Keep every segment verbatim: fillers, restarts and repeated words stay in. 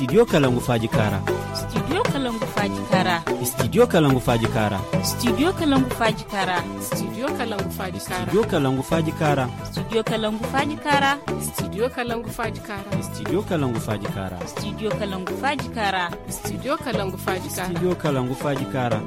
Studio Kalangu Faaji Kaara. Studio Kalangu Faaji Kaara. Studio Kalangu Faaji Kaara. Studio Kalangu Faaji Kaara. Studio Kalangu Faaji Kaara. Studio Kalangu Faaji Kaara. Studio Kalangu Faaji Kaara. Studio Kalangu Faaji Kaara. Studio Kalangu Faaji Kaara. Studio Kalangu Faaji Kaara. Studio Kalangu Faaji Kaara. Studio Kalangu Faaji Kaara.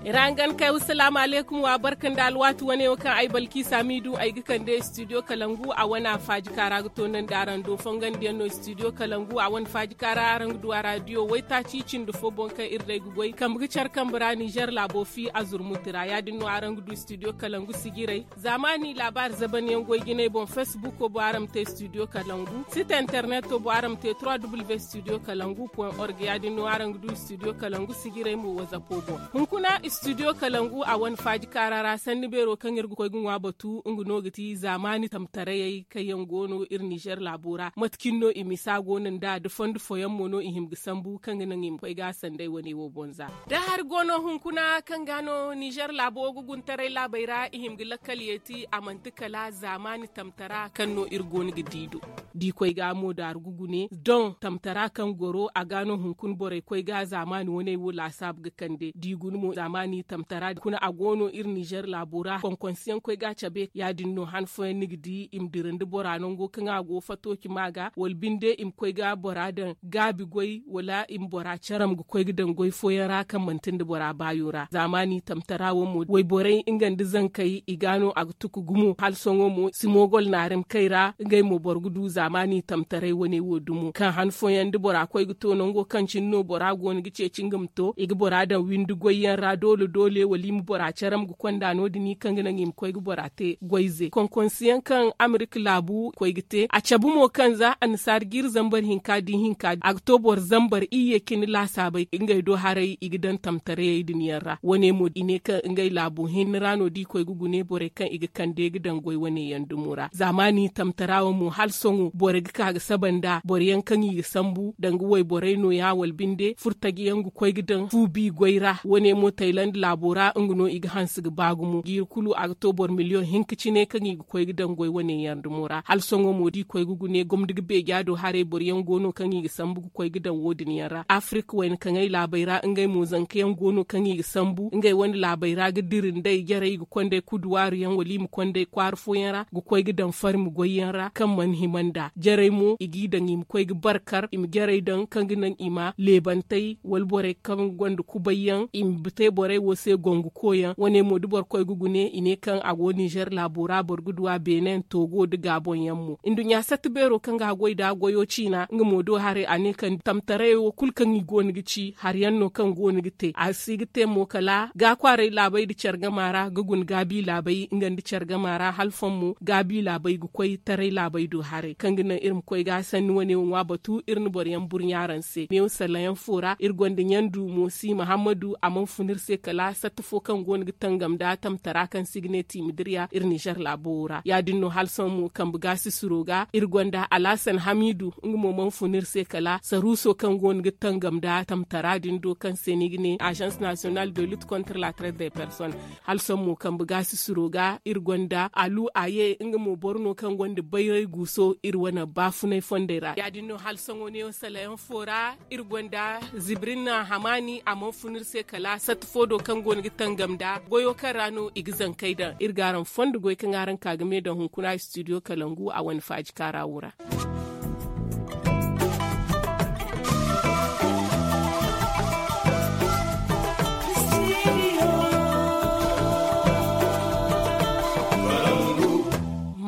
Ira hangan kay, wassalaamu aleykum, wa barka nda alwaati wane wo kaŋ ay balki saamiidu ay ga kande studio kalangu a wane a faaji kaara ga toonandi araŋ do fongandiyaŋ no studio kalangu a wane faaji kaara araŋ ga du a raadiyo waytaaci cindi fo boŋ kaŋ iri day ga goy kambe ga care kambe ra nizer laabo fi a zurmuti ra ya- din no araŋ ga du studio kalangu sijiray. Zaamaani laabaari zabanyaŋ goy jinay boŋ, facebook wo boŋ araŋ ma te studio kalangu, site internet wo boŋ araŋ ma te trois w studio kalangu point org ya- din no araŋ ga du studio kalangu sijiray mo wazapo boŋ. Hunkuna studio kalangu a wane faaji kaara ra sanni beero kaŋ iri ga koy ga ŋwa batu nga no ga ti zaamaani tamtarayey kaŋ yaŋ go no iri nizer laabo ra, mate cine no i misa go no nd'a da fondo fooyaŋ mo no i hima ga sambu kaŋ ga naŋ i ma koy ga a sanday wane wo boŋ za. Da hari go no hunkuna kaŋ ga no nizer laabo ga guntaray laabey ra i hima ga lakkal yeeti a manti kala zaamaani tamtara kaŋ no iri go no ga di do. Da i koy ga mo daaru ga gune doŋ tamtara kaŋ goro a ga no hunkuna borey koy ga zaamaani wane wo laasaabu ga kande da i guna mo zaamaani tamtara hunkuna a go no iri nizer laabo ra konkonsiyaŋ koy ga a cabe ya- din no han fooyaŋ ni ga di i ma dira nda bora nango kaŋ a go fato cima ga wala binde i ma koy ga bora daŋ gaabi goy wala i ma bora care ma ga koy ga daŋ goy fooyaŋ ra kaŋ manti nda bora baayo ra zaamaani tamtara wo mo wayborey nga nda zankey i ga no a ga tuku gumo hala sohõ mo simogol naarem kay ra ngey mo boro ga du zaamaani tamtaray wane wo dumo kaŋ han fooyaŋ da bora koy ga to nango kaŋ cine no bora go no ga ceeci nga ma to i ga bora daŋ windi goyyaŋ ra doole doole wala i ma bora care ma ga konda no- din i kaŋ ga naŋ i ma koy ga bora te goyze konkonsiyaŋ kaŋ amerika laabu koy ga te a cabe mo kaŋ za annasaari jiiri zambar hinka di hinka a ga to boro zambar iyye cine laasaabey ngey do haray i ga daŋ tamtarayey din yaŋ ra wane mo i ne kaŋ ngey laabu hinne ra no da i koy ga gune borey kaŋ i ga kande ga daŋ goy wane yaŋ dumo ra zaamaani tamtara wo mo hala sohõ borey ga ka ga saba nd'a boro yaŋ kaŋ i ga sambu danga wayborey no- ya wala binde furtaji yaŋ ga koy ga daŋ fu bi goy ra wane mo tayland laabo ra nga no i ga hanse ga ba gumo jiiri kulu a ga to boro miliyoŋ hinka cine kaŋ i ga koy ga daŋ goy wane yaŋ dumo ra hala sohõ mo da i koy ga gune gomni ga beeja do haray boro yaŋ go no kaŋ i ga sambu ga koy ga daŋ wo- din yaŋ ra afirika wayna kaŋey laabey ra ngey mo zanka yaŋ go no kaŋ i ga sambu ngey wane laabey ra ga dira nd'ey jarey ga konda ay kuduwaaru yaŋ wala i ma konda ay kwaara fooyaŋ ra ga koy ga daŋ farmi goyyaŋ ra kaŋ mana hima nd'a jarey mo i g'i daŋ i ma koy ga barkar i ma jarey daŋ kaŋ ga naŋ i ma leebantey wala borey kaŋ gonda kubayyaŋ i ma te borey wo se gongu koyaŋ wane mo da boro koy ga gune i ne kaŋ a go nizer laabo ra boro ga du a beenen toogo nda gaaboŋ yaŋ mo nduɲɲa satta beero kaŋ ga a goy nd'a goyo ciina nga mo do haray a ne kaŋ tamtarayey wo kulu kaŋ i go no ga ci hari yaŋ no kaŋ go no ga te a si ga te mo kala gaakwaaray laabey nda care gama ra ga guna gaabi laabey nga nda care gama ra hala foŋ mo gaabi laabey ga koy taray laabey do haray kaŋ ga naŋ iri ma koy ga sanni wane wo ŋwa batu iri na boro yaŋ burɲa araŋ se meew salla yaŋ fo ra iri gonda ɲandu moosi mahammadu a mana fun iri se kala satta fo kaŋ go no ga tangam nda tamtara kaŋ se i ga ne tiimadirya iri nizer laabo wo ra ya- din no hala sohõ mo kambe gaasi suro ga iri gonda alhasan hamiidu nga mo mana fun iri se kala saruuso kaŋ go no ga tangam nda tamtara din do kaŋ se no i ga ne agence national de lutte contre la traite des personnes hala sohõ mo kambe gaasi suro ga iri gonda alu aye nga mo boro no kaŋ gonda bayray guuso iri wane baafunay fondey ra ya- din no hala sohõ neewo salla yaŋ fo ra iri gonda zibrin hamaani a mana fun iri se kala satta fo do kaŋ go no ga tangam nda goyo kaŋ ra no i ga zankey daŋ iri ga araŋ fondo goy kaŋ araŋ ka ga me daŋ hunkuna studio kalangu a wane faaji kaara wo ra.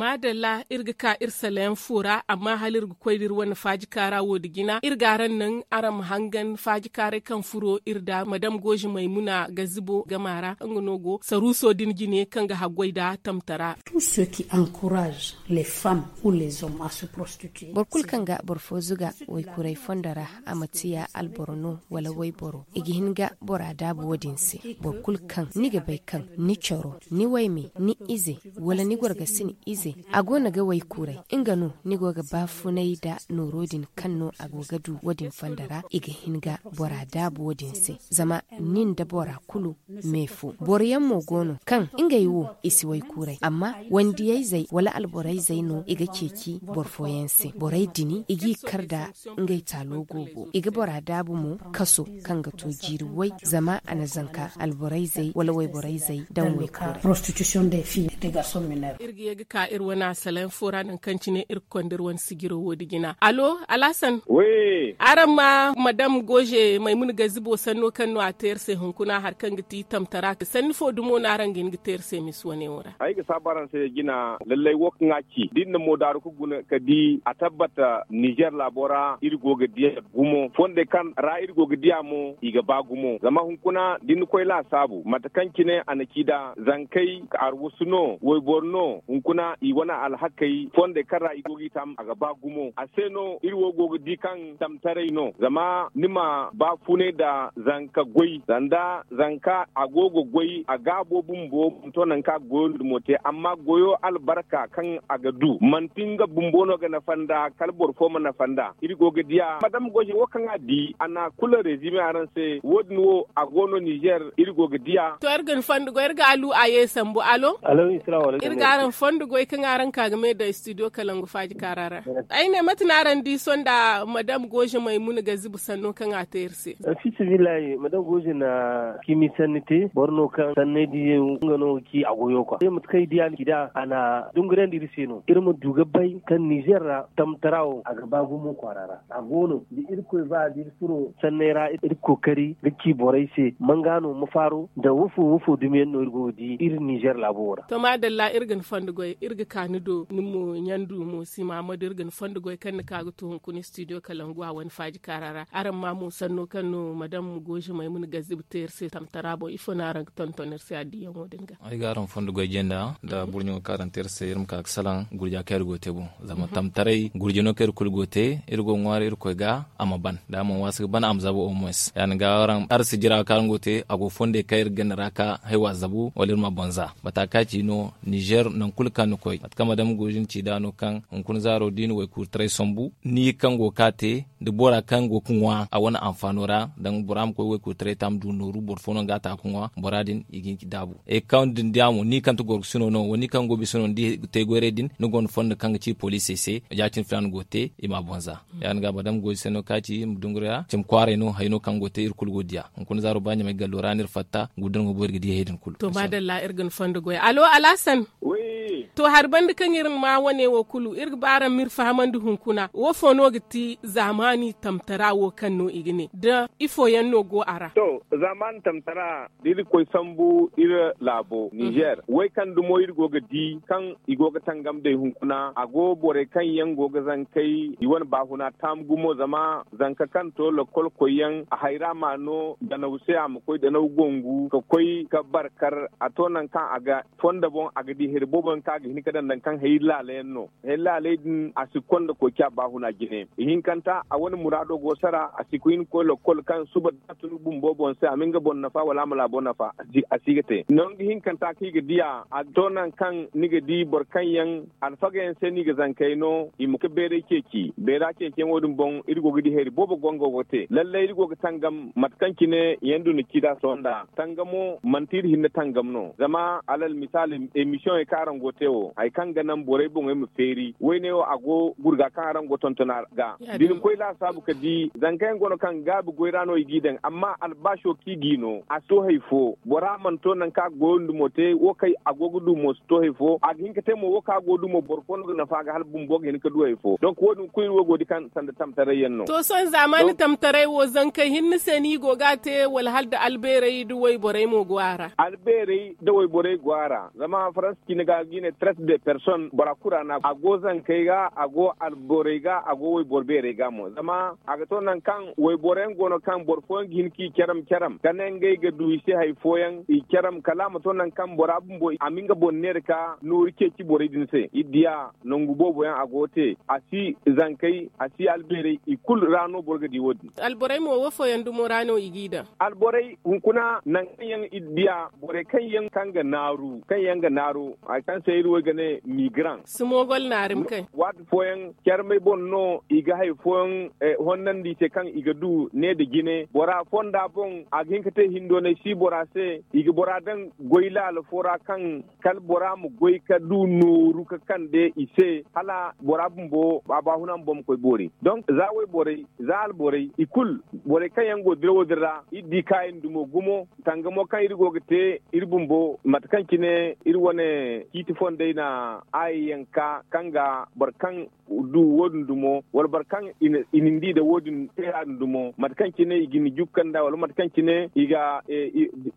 Maadalla iri ga ka iri salayaŋ fo ra amma hala iri ga koy da iri wane faaji kaara wo- din jina iri ga araŋ naŋ araŋ ma hangan faaji kaaray kaŋ furo iri nda madam goozi maymuna gazibo gama ra nga no go saruuso din jine kaŋ ga haggoy nda tamtara. Tout ce qui encourage les femmes ou les hommes à se prostituer. Boro kulu kaŋ ga boro fo zuga waykuray fondo ra a ma tiya alboro no wala wayboro i ga hin ga bora daabu wo- din se. Boro kulu kaŋ ni ga bay kaŋ ni coro ni wayme ni ize wala ni gorgasini ize A go no ga waykuuray, nga no ni go ga baafunay nda nooro din kaŋ no a go ga du wo- din fondo ra. I ga hin ga bora daabu wo- din se, zama nin nda bora kulu me fo. Boro yaŋ mo go no kaŋ ngey wo i si waykuuray, amma wandiyayzey wala alborayzey no i ga ceeci boro fooyaŋ se. Borey din i g'i kar nda ngey taalo goobo, i ga bora daabu mo kaso kaŋ ga to jiiri way, zama a na zanka alborayzey wala wayborayzey daŋ waykuuray. Iri ga ye ga ka iri wane asalayaŋ fo ra nangu kaŋ cine iri ga konda iri wane sijiro wo- din jina. Alo, alhasan. Araŋ ma madam goze maymuna gazibo sanno kaŋ no a te iri se hunkuna hari kaŋ ga ti tamtara sanni fo dumo no araŋ ga hin ga te iri se misi wane wo ra? Ay ga saabu araŋ se jina, lallay wo kaŋ a ci da iri na moodaaru ga guna ga di a tabbata nizer laabo ra iri go ga diya gumo, fondey kaŋ ra iri go ga diya mo i ga ba gumo. Zama hunkuna da ni koy laasaabu mate kaŋ cine a na ci nd'a, zankey arwasu no, wayboro no, hunkuna i wane alhakey fondey kaŋ ra i go ga i tam a ga ba gumo. A se no iri wo go ga di kaŋ tamtaray no, zama ni ma baafunay nda zanka goy sanda zanka a go ga goy a gaabo bumbo, to nangu kaŋ a ga goyo nda mo te, amma goyo albarka kaŋ a ga du manti nga bumbo no ga nafa nd'a, kala boro fo ma nafa nd'a. Iri go ga diya madam goze wo kaŋ a di a na kulu rezime araŋ se, wo- din wo a go no nizer iri go ga diya. To iri ga ni fondo goy iri ga alu a ye sambu. Alo. Iri ga araŋ fondo goy kaŋ araŋ ka ga me daŋ studio kalangu faaji kaara ra. Ay ne mate no araŋ di sonda madam goze maymuna gazibu sanno kaŋ a te iri se? Fi sabillahi madam goze na kiimi sanni te, boro no kaŋ sanney di nga no ga ci a goyo kwa. Mate kaŋ ay di a na ci nd'a a na dungurandi iri se no iri ma du ga bay kaŋ nizer ra tamtara wo a ga ba gumo kwaara ra. A go no da irkoy ba da iri furo sanney ra iri ga kookari ga ci borey se manga no ma faaro nda wofo wofo dumiyaŋ no iri go ga di iri nizer laabo wo ra. To maadalla iri ga ni fondo goy iri ga ka ni do ni mo ɲandu mo si mahamadu iri ga ni fondo goy kaŋ ni ka ga to hunkuna studio kalangu a wane faaji kaara ra. Araŋ ma mo sanno kaŋ no madam goze maymuna gazibu te iri se tamtara boŋ ifo no araŋ ga tonton iri se addiyaŋo din ga? Ay ga araŋ fondo goy jenda nda burɲo kaŋ araŋ te iri se iri ma ka ga salaŋ gurja kaŋ iri go ga te boŋ. Zama tamtaray gurjano kaŋ iri kulu go ga te iri go ga ŋwaari irkoy ga a ma ban da a mana waasi ga ban a ma zabu au moins ya- din ga araŋ si jira kaŋ araŋ go ga te a go fondey kaŋ iri ganda ra ka haywa zabu wala iri ma boŋ za. Mata kaŋ a ci no nizer nangu kulu kaŋ ni koy mate kaŋ madam goze ni ci nd'a no kaŋ hunkuna zaaro da i na waykuuritaray sambu ni kaŋ go ga ka te da bora kaŋ go ga ŋwa a wane anfaano ra. Danga bora ma koy waykoytaray te a ma du nooru boro fo no ga a ta ga ŋwa bora din i ga hin ga daabu. Kaŋ din diya mo ni kaŋ ti gorgosino no wala ni kaŋ go bisino ni di te goyray din ni gonda fondo kaŋ ga ci poliisey se ya- cine filaana go ga te i ma a boŋ za. Ya- din ga madam goy se no kaŋ a ci i ma dunguriya cimi kwaaray no hayo no kaŋ go ga te iri kulu go ga diya hunkuna zaaro ba ɲamay gallo ra no iri fatta gudda no ga boori ga di hayey din kulu. To maadalla iri ga ni fondo goy alo alhasan. To hari banda kaŋ iri ma wane wo kulu iri ga ba araŋ ma iri fahamandi hunkuna wo fo no ga ti zaamaani tamtara wo kaŋ no i ga ne da ifo yaŋ no go a ra? To zaamaani tamtara da iri ga koy sambu iri laabo nizer way kaŋ dumo iri go ga di kaŋ i go ga tangam day hunkuna a go borey kaŋ yaŋ go ga zankey i wane baafuna taamu gumo zama zanka kaŋ to lakkol koyyaŋ a hayra ma no danaw se a ma koy danaw gongu ka koy ka barkar a to nangu kaŋ a ga fondo boŋ a ga di hari boobo yaŋ kaŋ a ga hin ga daŋ danga kaŋ hari laala yaŋ no. Hari laaley din a si konda koy ci a baafuna jine ihinkanta a wane muraado go sara a si ga hin ga koy lakkol kaŋ suba da a tun bumbo boŋ se a ma nga boŋ nafa wala a ma laabo nafa a si ga te nangu hinkanta kaŋ i ga diya a to nangu kaŋ ni ga di boro kaŋ yaŋ alfaga yaŋ se no i ga zankey no i ma ga bayray ceeci bayra ceeciyaŋo din boŋ iri go ga di hari boobo go nga go ga te lallay iri go ga tangam mate kaŋ cine yaŋ du na ci nd'a sohõ nd'a tangamo manti iri hinne tangam no zama alal misaali emisiyoŋey kaŋ araŋ go ga te wo hari kaŋ ga naŋ borey boŋey ma feeri woyne wo a go gurga kaŋ araŋ go tonton a ga da ni koy laasaabu ga di zanka yaŋ go no kaŋ gaabi goy ra no i g'i daŋ amma albaaso kaŋ i g'i no a si to hari fo bora mana to nangu kaŋ a ga goyo nda mo te wo kaŋ a go ga du mo si to hari fo a ga hin ga te mo wo kaŋ a go ga du mo boro fo no ga nafa a ga hala bumbo ga hin ga du hari fo donk wo- din kulu iri wo go ga di kaŋ sanda tamtaray yaŋ no. To sohõ zaamaani tamtaray wo zankey hinne se no i go ga a te wala hala da albeerey nda wayborey mo go a ra? Albeerey nda wayborey go a ra zama faransa cine ga ga i ne traite de personne bora kulu ra no a go zankey ga a go alborey ga a go wayboro beerey ga mo zama a ga to nangu kaŋ wayboro yaŋ go no kaŋ boro fooyaŋ ga hin ga i caram caram ka ne ngey ga du i se hari fooyaŋ i caram kala a ma to nangu kaŋ bora bumbo a ma nga boŋ neera ka nooru ceeci borey din se iri diya nangu boobo yaŋ a go ga te a si zankey a si albeerey i kulu ra no boro ga di wo- din. Alborey mo wo- fooyaŋ dumo ra no i g'i daŋ? Alborey hunkuna nangu kaŋ yaŋ iri diya borey kaŋ yaŋ kaŋ ga naaru kaŋ yaŋ ga naaru hari kaŋ se iri wo i ga ne miigaran. Simogol naarim kay. Waati fooyaŋ carmey boŋ no i ga hari fooyaŋ honnandi i se kaŋ i ga du ne nda jine bora fonda boŋ a ga hin ka te hindoonay si bora se. I ga bora daŋ goy laala fo ra kaŋ kala bora ma goy ka du nooru ka kande i se hala bora bumbo a baahuna ma boŋ ma koy boori. Donk za wayborey za alborey i kulu borey kaŋ yaŋ go dirawo din ra iri di kaayaŋ dumo gumo tangamo kaŋ iri go ga te iri bumbo mate kaŋ cine iri wane ciiti fondey na aayi yanka kaŋ ga boro kaŋ du wo- din dumo wala boro kaŋ i na ni di nda wo- din teera din dumo mate kaŋ cine i ga ni jukka nda wala mate kaŋ cine i ga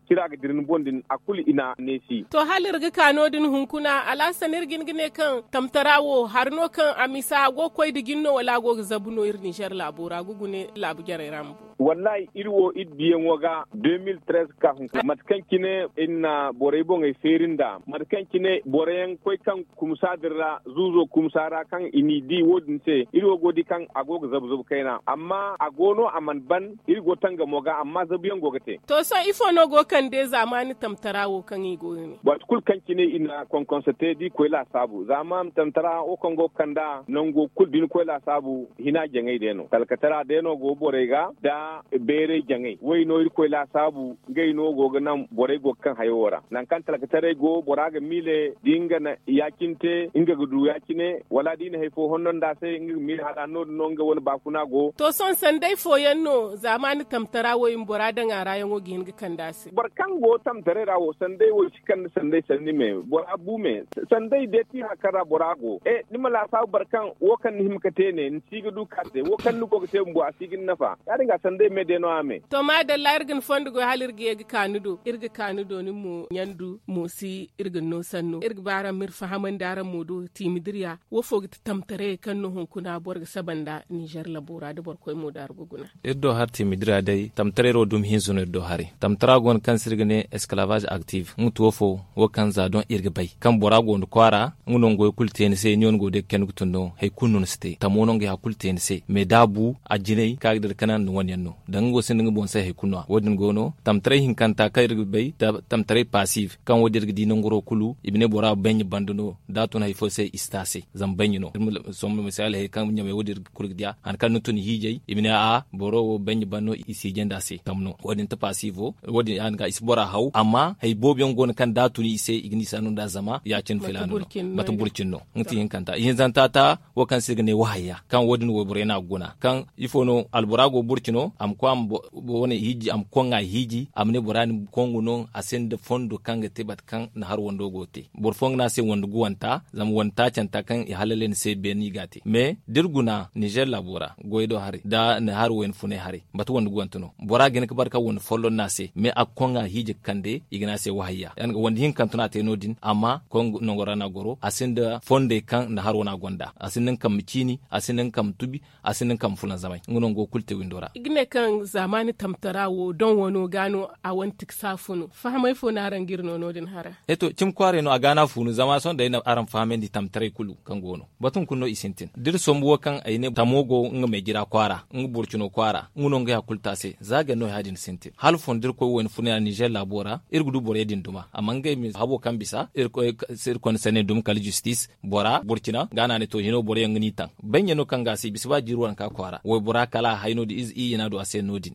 cira ga dira ni boŋ din a kulu i na neesi. To hala iri ga ka no- din hunkuna alhasan iri ga hin ga ne kaŋ tamtara wo hari no kaŋ a misa a go ga koy nda jin no wala a go ga zabu no iri ninzeer laabo ra ga gune laabu jarey ra ma bu. Wallahi iri wo iri diyaŋo ga de mil trez ka hunkuna mate kaŋ cine iri na borey boŋey feeri nda mate kaŋ cine boro yaŋ koy kaŋ kumsa din ra zuuzo kumsa ra kaŋ i n'i di wo- din se iri wo go ga di kaŋ a go ga zabu zabu kayna amma a go no a mana ban iri go tangamo ga amma zabu yaŋ go ga te. To sohõ ifo no go ga kande zaamaani tamtara wo kaŋ i go ga ne? Waati kulu kaŋ cine i na konkonso te da i koy laasaabu zaamaani tamtara wo kaŋ go ga kand'a nango kulu da ni koy laasaabu hina jaŋay day no talkatara day no go borey ga nda beeray jaŋay way no irkoy laasaabu ngey no go ga naŋ borey go ga kaŋ hayo wo ra nangu kaŋ talkataray go bora ga miile da nga na ya- cine te nga ga du ya- cine wala da i na hari fo honno nd'a se nga ga miile hala no- din no nga wane baafuna go. To sohõ sanday fooyaŋ no zaamaani tamtara wo i ma bora daŋ a ra yaŋo ga hin ga kande a se. Boro kaŋ go tamtaray ra wo sanday wo si kande sanday sanni me bora bu me sanday day ti hari kaŋ ra bora go e ni ma laasaabu boro kaŋ wo kaŋ ni hima ga te ne ni si ga du ka te wo kaŋ ni go ga te bumbo a si ga ni nafa ya- din ga sanday me day no- ya me. To maadalla iri ga ni fondo goy hala iri ga ye ga ka ni do iri ga ka ni do ni mo ɲandu mo si iri ga ni no sanno iri ga ba araŋ ma iri fahamandi araŋ mo do tiimi diriya wo fo ga ti tamtaray kaŋ no hunkuna boro ga saba nda ninzeer labo ra da boro koy mo daaru ga guna. Iri do hari tiimi dira day tamtaray ro dumi hinza no iri do hari tamtara go no kaŋ se iri ga ne esclavage active nga tuwo fo wo kaŋ za doŋ iri ga bay kaŋ bora go nda kwaara nga no nga wo kulu te ni se ni wane go day ga kani ga tun no hari kulu no ni si te tamo no nga ya kulu te ni se mais da a bu a jinay kaŋ a ga dira kanaŋ nda wane yaŋ no danga nga wo sinda nga boŋ se hari kulu no- ya wo- din go no tamtaray hinkanta kaŋ iri ga bay tamtaray pasiif kaŋ wo- din iri ga di nanguro kulu i ma ne bora baɲɲa banda no da a tun hari fo se i si te a se zama baɲɲa no. Sombu misali hari kaŋ ɲamey wo- din kulu ga diya hari kaŋ ni tun hiijay i ma ne a boro wo baɲɲa ban no i si hiijay nda a se tam no wo- din ti pasiivo wo- din ya- din ga i si bora haw amma hari boobo yaŋ go no kaŋ da a tun i se i ga ni saanu nda zama ya- cine filaana no mate burcin no nga ti hinkanta ihinzanta ta wo kaŋ se i ga ne wahayya kaŋ wo- din wayborey no a ga guna kaŋ ifo no albora go burcino a ma koy a ma wane hiiji a ma koŋ a hiiji a ma ne bora din kongu no a sinda fondo kaŋ ga te mate kaŋ na hari wando go ga te boro fooyaŋ ga ne a se wande guwanta zama wande taacanta kaŋ i halalay ni se beene i ga a te mais da iri guna ninzeer laabo ra goyey do haray nda ni hari wayna funay haray mate wande guwante no bora ga hin ga bare kaŋ wande folloŋ no a se mais a ga koŋ a hiiji ga kande i ga ne a se wahayya wande hinkante no a te no- din amma koŋ nango ra no a goro a sinda fondey kaŋ ni hari wane a gonda a sinda nga kaŋ ma ciini a sinda nga kaŋ ma tubi a sinda nga kaŋ ma fulanzamay nga no nga wo kulu te windo ra. I ga ne kaŋ zaamaani tamtara wo doŋ wano ga no a wane tiksa funu fahamay fo no araŋ ga iri no no- din hara? E to cimi kwaaray no a ga no a funu zama sohõ day no araŋ fahamandi tamtaray kulu kaŋ go no batu hunkuna no i sintin da iri sombu wo kaŋ ay ne tamo go nga meejira kwaara nga burcino kwaara nga no nga ya kulu te a se za gari no ya- din sintin hala fondo da iri koy wayna funa ninzeer laabo ra iri ga du borey din duma amma ngey ma habo kaŋ bisa iri koy se iri konda sanni duma kala justis bora burcina ga no a ne to hino boro yaŋ ga no i taŋ baɲɲa no kaŋ ga a se i bisa ba jiiri waranka kwaara waybora kala a hay no- din ize iyye no a du a se no- din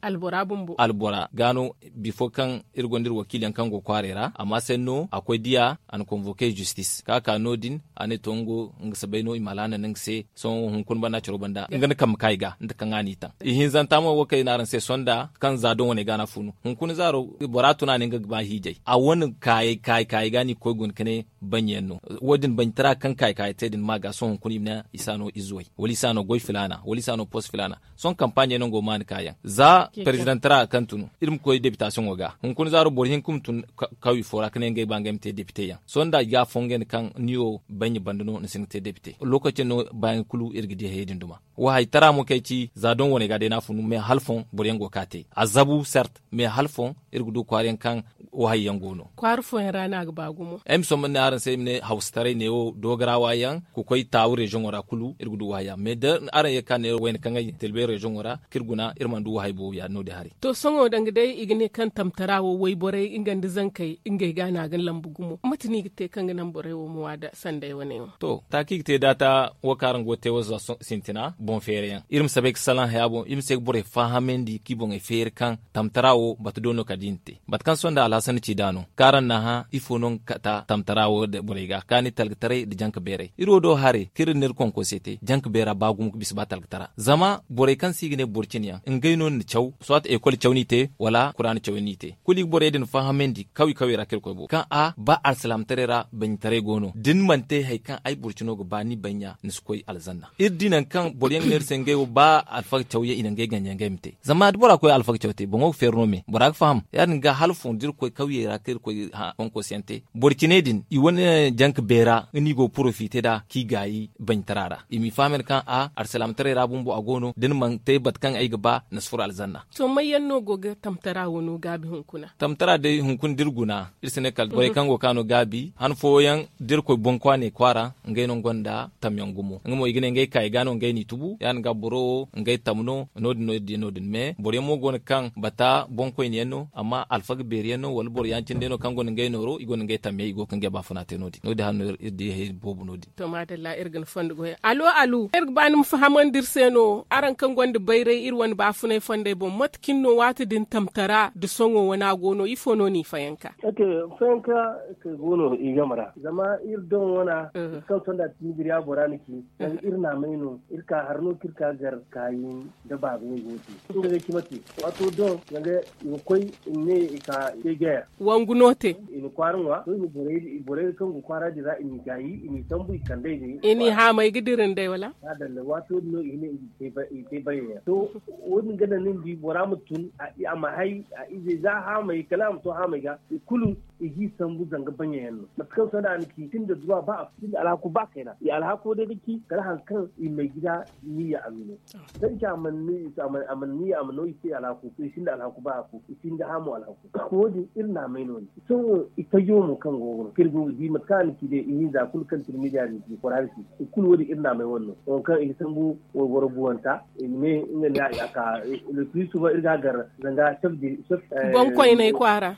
albora ga no bifo kaŋ iri gonda iri wakiili yaŋ kaŋ go kwaaray ra amma sanno a koy diya a na konvoke justis ka ka no- din a ne to nga si bay no i ma alhaana no nga se sohõ hunkuna banda caro banda nga ni kambe ka i ga nda kaŋ a n'i taŋ ihinzanta mo wo kaŋ i ne araŋ se sonda kaŋ za doŋ wane ga no a funu hunkuna zaaro bora tun a ne nga ga ba hiijay a wane kaayey kaayey kaayey ga no i ga koy guna ka ne baɲɲa yaŋ no wo- din baɲɲatara kaŋ kaayey kaayey te din ma ga sohõ hunkuna i ma ne i si a no ize way wala i si a no goy filaana wala i si a no pos filaana sohõ kampaaɲey no nga wo maani kaayaŋ za perezidaŋ tara kaŋ tun iri ma koy depitasiyoŋo ga hunkuna zaaro boro hinka ma tun kawye fo ra ka ne ngey ba ngey ma te depite yaŋ sohõ nda i ga a fongandi kaŋ ni wo baɲɲa banda no ni si hin ga te depite lokaci yaŋ no baayaŋ kulu iri ga di hayey din duma wo hay tara mo kaŋ ay ci za doŋ wane ga day no a funu mais hala foŋ boro yaŋ go ga ka te a zabu sert mais hala foŋ iri ga du kwaara yaŋ kaŋ wo hari yaŋ go no. Kwaara fooyaŋ ra no a ga ba gumo. Ay ma somba ne araŋ se ay ma ne hawsataray neewo doogarawa yaŋ ka koy taawu reziyoŋo ra kulu iri ga du wo hari yaŋ mais da araŋ ye ga ka ne wayna kaŋ ay tilbe reziyoŋo ra kaŋ iri guna iri mana du wo hari boobo ya- din no- din hari. To sohõ danga day i ga ne kaŋ tamtara wo wayborey nga nda zankey ngey ga no a ga lambu gumo mate no i ga te kaŋ ga naŋ borey wo ma waada sanday wane wo. To taaki ga te daata wo kaŋ araŋ go ga te wo za sintina boŋ feerayaŋ iri ma si bay ga salaŋ haya boŋ iri ma si ay ga borey faahamandi kaŋ i boŋey feeri kaŋ tamtara wo bata do no kala da i na te. Mate kaŋ sohõ nda alhasan ci nd'a no kaŋ araŋ na hã ifo no nga kata tamtara wo borey ga kaani talgataray nda janka beeray iri wo do haray kaŋ iri na iri konkoose te janka beera ba gumo ga bisa ba talgatara zama borey kaŋ se i ga ne boro cine yaŋ ngey no ni na caw soit ekol caw no i te wala kuraana caw yaŋ no i te kulu i ga borey din fahamandi kawye kawye ra kaŋ iri koy boobo kaŋ a ba alsilaamataray ra baɲitaray go no da ni mana te hari kaŋ ay boro cino ga ba ni baɲa ni si koy alzanna. Iri di nangu kaŋ boro yaŋ ga ne iri se ngey wo ba alfaga caw yaŋ i na ngey ganjey ngey ma te zama da bora koy alfaga caw te boŋo ga feeri no me bora ga faham ya- din ga hala fondo da iri koy kawyey ra kaŋ iri koy konkoosiyaŋ te boro cine din i wane janka beera nga no i go ga porofite nd'a kaŋ i gaayi baɲtara ra i m'i faham yaŋ kaŋ a alsilaamataray ra bumbo a go no da ni mana te mate kaŋ ay ga ba ni si furo alzanna. To may yaŋ no go ga tamtara wano gaabi hunkuna? Tamtara day hunkuna da iri guna iri si ne kala borey kaŋ go ga ka no gaabi han fooyaŋ da iri koy bonkwaaney kwaara ngey no nga gonda tamyaŋ gumo nga mo i ga ne ngey kaayi ga no ngey n'i tubu ya- din ga boro wo ngey tam no no- din no iri di no- din mais boro yaŋ mo go no kaŋ bata boŋkoyne yaŋ no amma alfaga beeri yaŋ no wala boro yaŋ cindi yaŋ no kaŋ gonda ngey nooro i gonda ngey tamyaŋ i go ga ngey baafuna te no- din no- din hari no iri di hari boobo no- din. To maadalla iri ga ni fondo goyey alu alu iri ga ba ni ma fahamandi iri se no araŋ kaŋ gonda bayray iri wane baafunay fondey boŋ mate cine no waati din tamtara nda sohõ wane a go no ifo no n'i fayanka? Fayanka kay go no i game ra zama iri doŋ wana kaŋ sonda tini biriya bora ni ci zanga iri naamay no iri ka har no kaŋ iri ka gar kaayi nda baaba ɲey go no te nga ga cima te waato doŋ zanga i ga koy i ma ne i ka te geer wangu no te i na kwaara ŋwa to i na borey kaŋ go kwaara din ra i n'i gaayi i n'i sambu i kand'ey day i n'i haamay ga dira nd'ey wala? Maadalla waato din no i ne i te bayyey yaŋ to wo- din ga naŋ ni ma di bora ma tun a ma hay a izey za haamay kala a ma to haamay ga i kulu i g'i sambu zanga baɲey yaŋ no mate kaŋ sohõ da a na ci i sinda duwa ba a sinda alhaku ba kayna i alhako day ga ci kala hari kaŋ i may gida niya a ma no. Danci a mana niya a ma no i se alhaku i sinda alhaku ba a ku i sinda haamo alhaku wo- din iri naamay no- din sohõ i tajo mo kaŋ go ga no kaŋ iri go ga di mate kaŋ a na ci day ihinza kulu kaŋ tirmidiya din ci kora ga ci i kulu wo- din iri naamay wane no wo kaŋ i ga sambu wayboro buwanta i ma ne nga ne a ka le plus souvent iri ga a gar zanga chef de chef boŋ koyney kwaara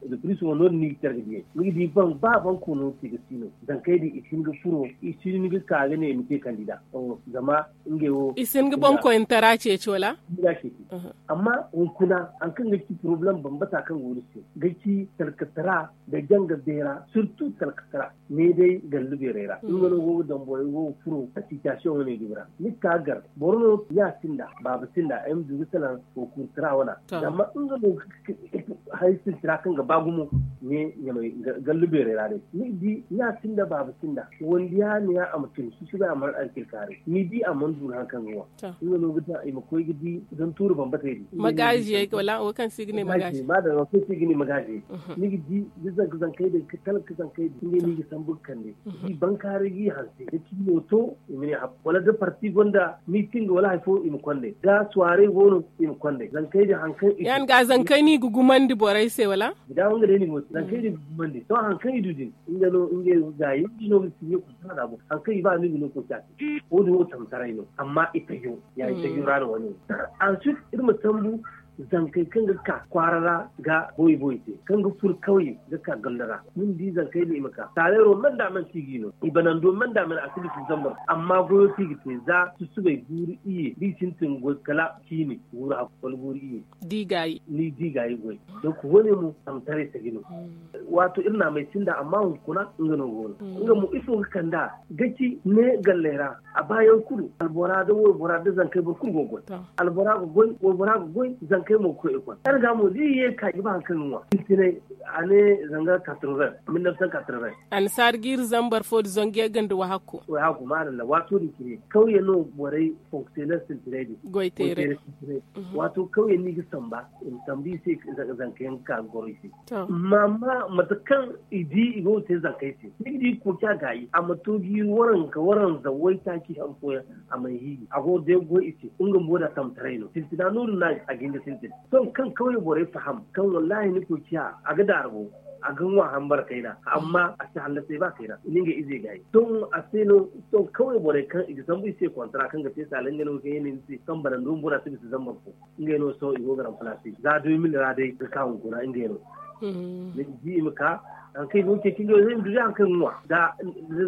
le plus souvent no- din no i ga care ga diyey ni ga di ba boŋ koono te ga si no zankey din i si hin ga furo i si hin ga ka ga ne i ma te kandida zama ngey wo i si hin ga boŋ koynetara ceeci wala? Amma hunkuna hari kaŋ ga ci poroblem bambata kaŋ go iri se ga ci talkatara nda janga beera surtout talkatara ne day gallu beerey ra nga no go ga daŋ borey go ga furo asitiyasiyoŋ wane dumi ra ni ga ka gar boro no ɲa sinda baaba sinda ay ma du ga salaŋ kokurtara wana zama nga no hari sintina kaŋ ga ba gumo ne ɲamay gallu beerey ra day ni ga di ɲa sinda baaba sinda wandiya ne ya a ma tun susubay a mana alkilkaaray ni di a mana du hari kaŋ ga ŋwa nga no ga daŋ i ma koy ga di zan tuuri bambatey din magaaziyey wala wo kaŋ se i ga ne magaaziyey ma daŋ wo kaŋ se i ga ne magaaziyey ni ga di da zanka zankey din ka talka zankey din ngey no i ga sambu ga kande i bankaaray g'i hanse da cimi wo to i ma ne hab wala da parti gonda miiting wala hari fo i ma konday da suwaarey go no i ma konday zankey din hari kaŋ i ya- din ga zankey no i ga gumandi borey se wala? Gida wo nga day no i go te zankey din ga gumandi to hari kaŋ i du din nga no ngey gaayi nga no ga sinye kulu tana ra bo hari kaŋ i ba no i ga no kulu caati wo- din wo tamtaray no amma i tajo ya i tajo ra no wane wo. Ansuit iri ma sambu zankey kaŋ ga ka kwaara ra ga boy boy te kaŋ ga furo kawye ga ka ganda ra ni ma di zankey din i ma ka taaleero manda manti i g'i no i banando manda mana a si bisa zambar amma goyo kaŋ i ga te za susubay guuru iyye da i sintin goy kala ciini guuru hakku wala guuru iyye. Ni di gaayi goy donk wane mo tamtaray taji no. Waato iri naamay sinda amma hunkuna nga no go no nga mo ifo ga kand'a ga ci ne galley ra a baayaŋ kulu albora nda waybora nda zankey boro kulu go ga goy albora ga goy waybora ga goy zankey mo ga koy ekol kaŋ ga mo da i ye ga ka i ga ba hari kaŋ ga ŋwa sintinay a ne zanga quatre-vingts mille neuf cent quatre-vingts. Annasaari ga iri zambar fo nda zangu yagga nda wahakku. Wahakku maadalla waato din cine kawye no borey fonksiyoner sintinay din goy teeray sintinay. Waato kawye no i ga samba i ma samba i se zanka yaŋ ga ka ga goro i se. Amma mate kaŋ i di i go ga te zankey se ni ga di kooca gaayi a ma to ga i waranka waranza waytaaci hari fooyaŋ a mana hiiji a go ga day ga goy i se nga mo da tamtaray no sintina no- din no a ga hin ga sintin. Sohõ kaŋ kawye borey faham kaŋ wallaahi ni koy ciya a ga daaru, a ga ŋwa hambara kayna amma a si hallasay ba kayna i na ngey izey gaayi. Sohõ a se no sohõ kawye borey kaŋ i ga sambu i se kontara kaŋ ga te saala ngey no ga kay ne ni se kaŋ bana nda humbura si bisa zambar fo. Ngey no sohõ i go ga ramplaase za deux mille ra day ga ka hunkuna ngey no. Ni di i ma ka hari kaŋ i go ga ceeci ngey wo day i ma du day hari kaŋ i ga ŋwa da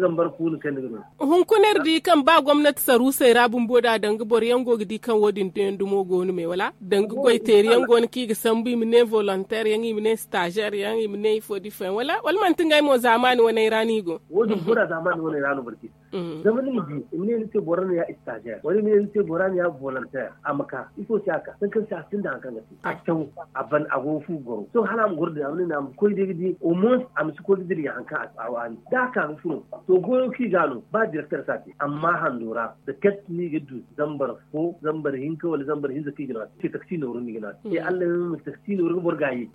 zambar fo ni kaŋ ni ga no. Hunkuna iri di kaŋ ba gomnati saruusey ra bumbo da danga boro yaŋ go ga di kaŋ wo- din dumo go no me wala danga goy teeri yaŋ go no kaŋ i ga sambu i ma ne volonteer yaŋ i ma ne staazeer yaŋ i ma ne ifo da ifo yaŋ wala manti ngey mo zaamaani waney ra no i go? Wo- din bora zaamaani waney ra no boro ga i zama ni ma di i ma ne ni se bora no ya staazeer wala i ma ne ni se bora no ya volonteer a ma ka ifo se a ka sankan se a sinda hari kaŋ ga te a caw a ban a go ga fu ga goro sohõ hala a ma goro din a ma ne ni a ma koy day ga di omoos a ma si koy ga dira ya hari kaŋ a waani da a ka ga furo. To goyo kaŋ i ga no ba direkter si a te amma hando ra da katti no i ga du zambar fo zambar hinka wala zambar hinza kaŋ i ga no a te taksi nooru no i ga no a te se allah yaŋ ma taksi nooru ga boro gaayi.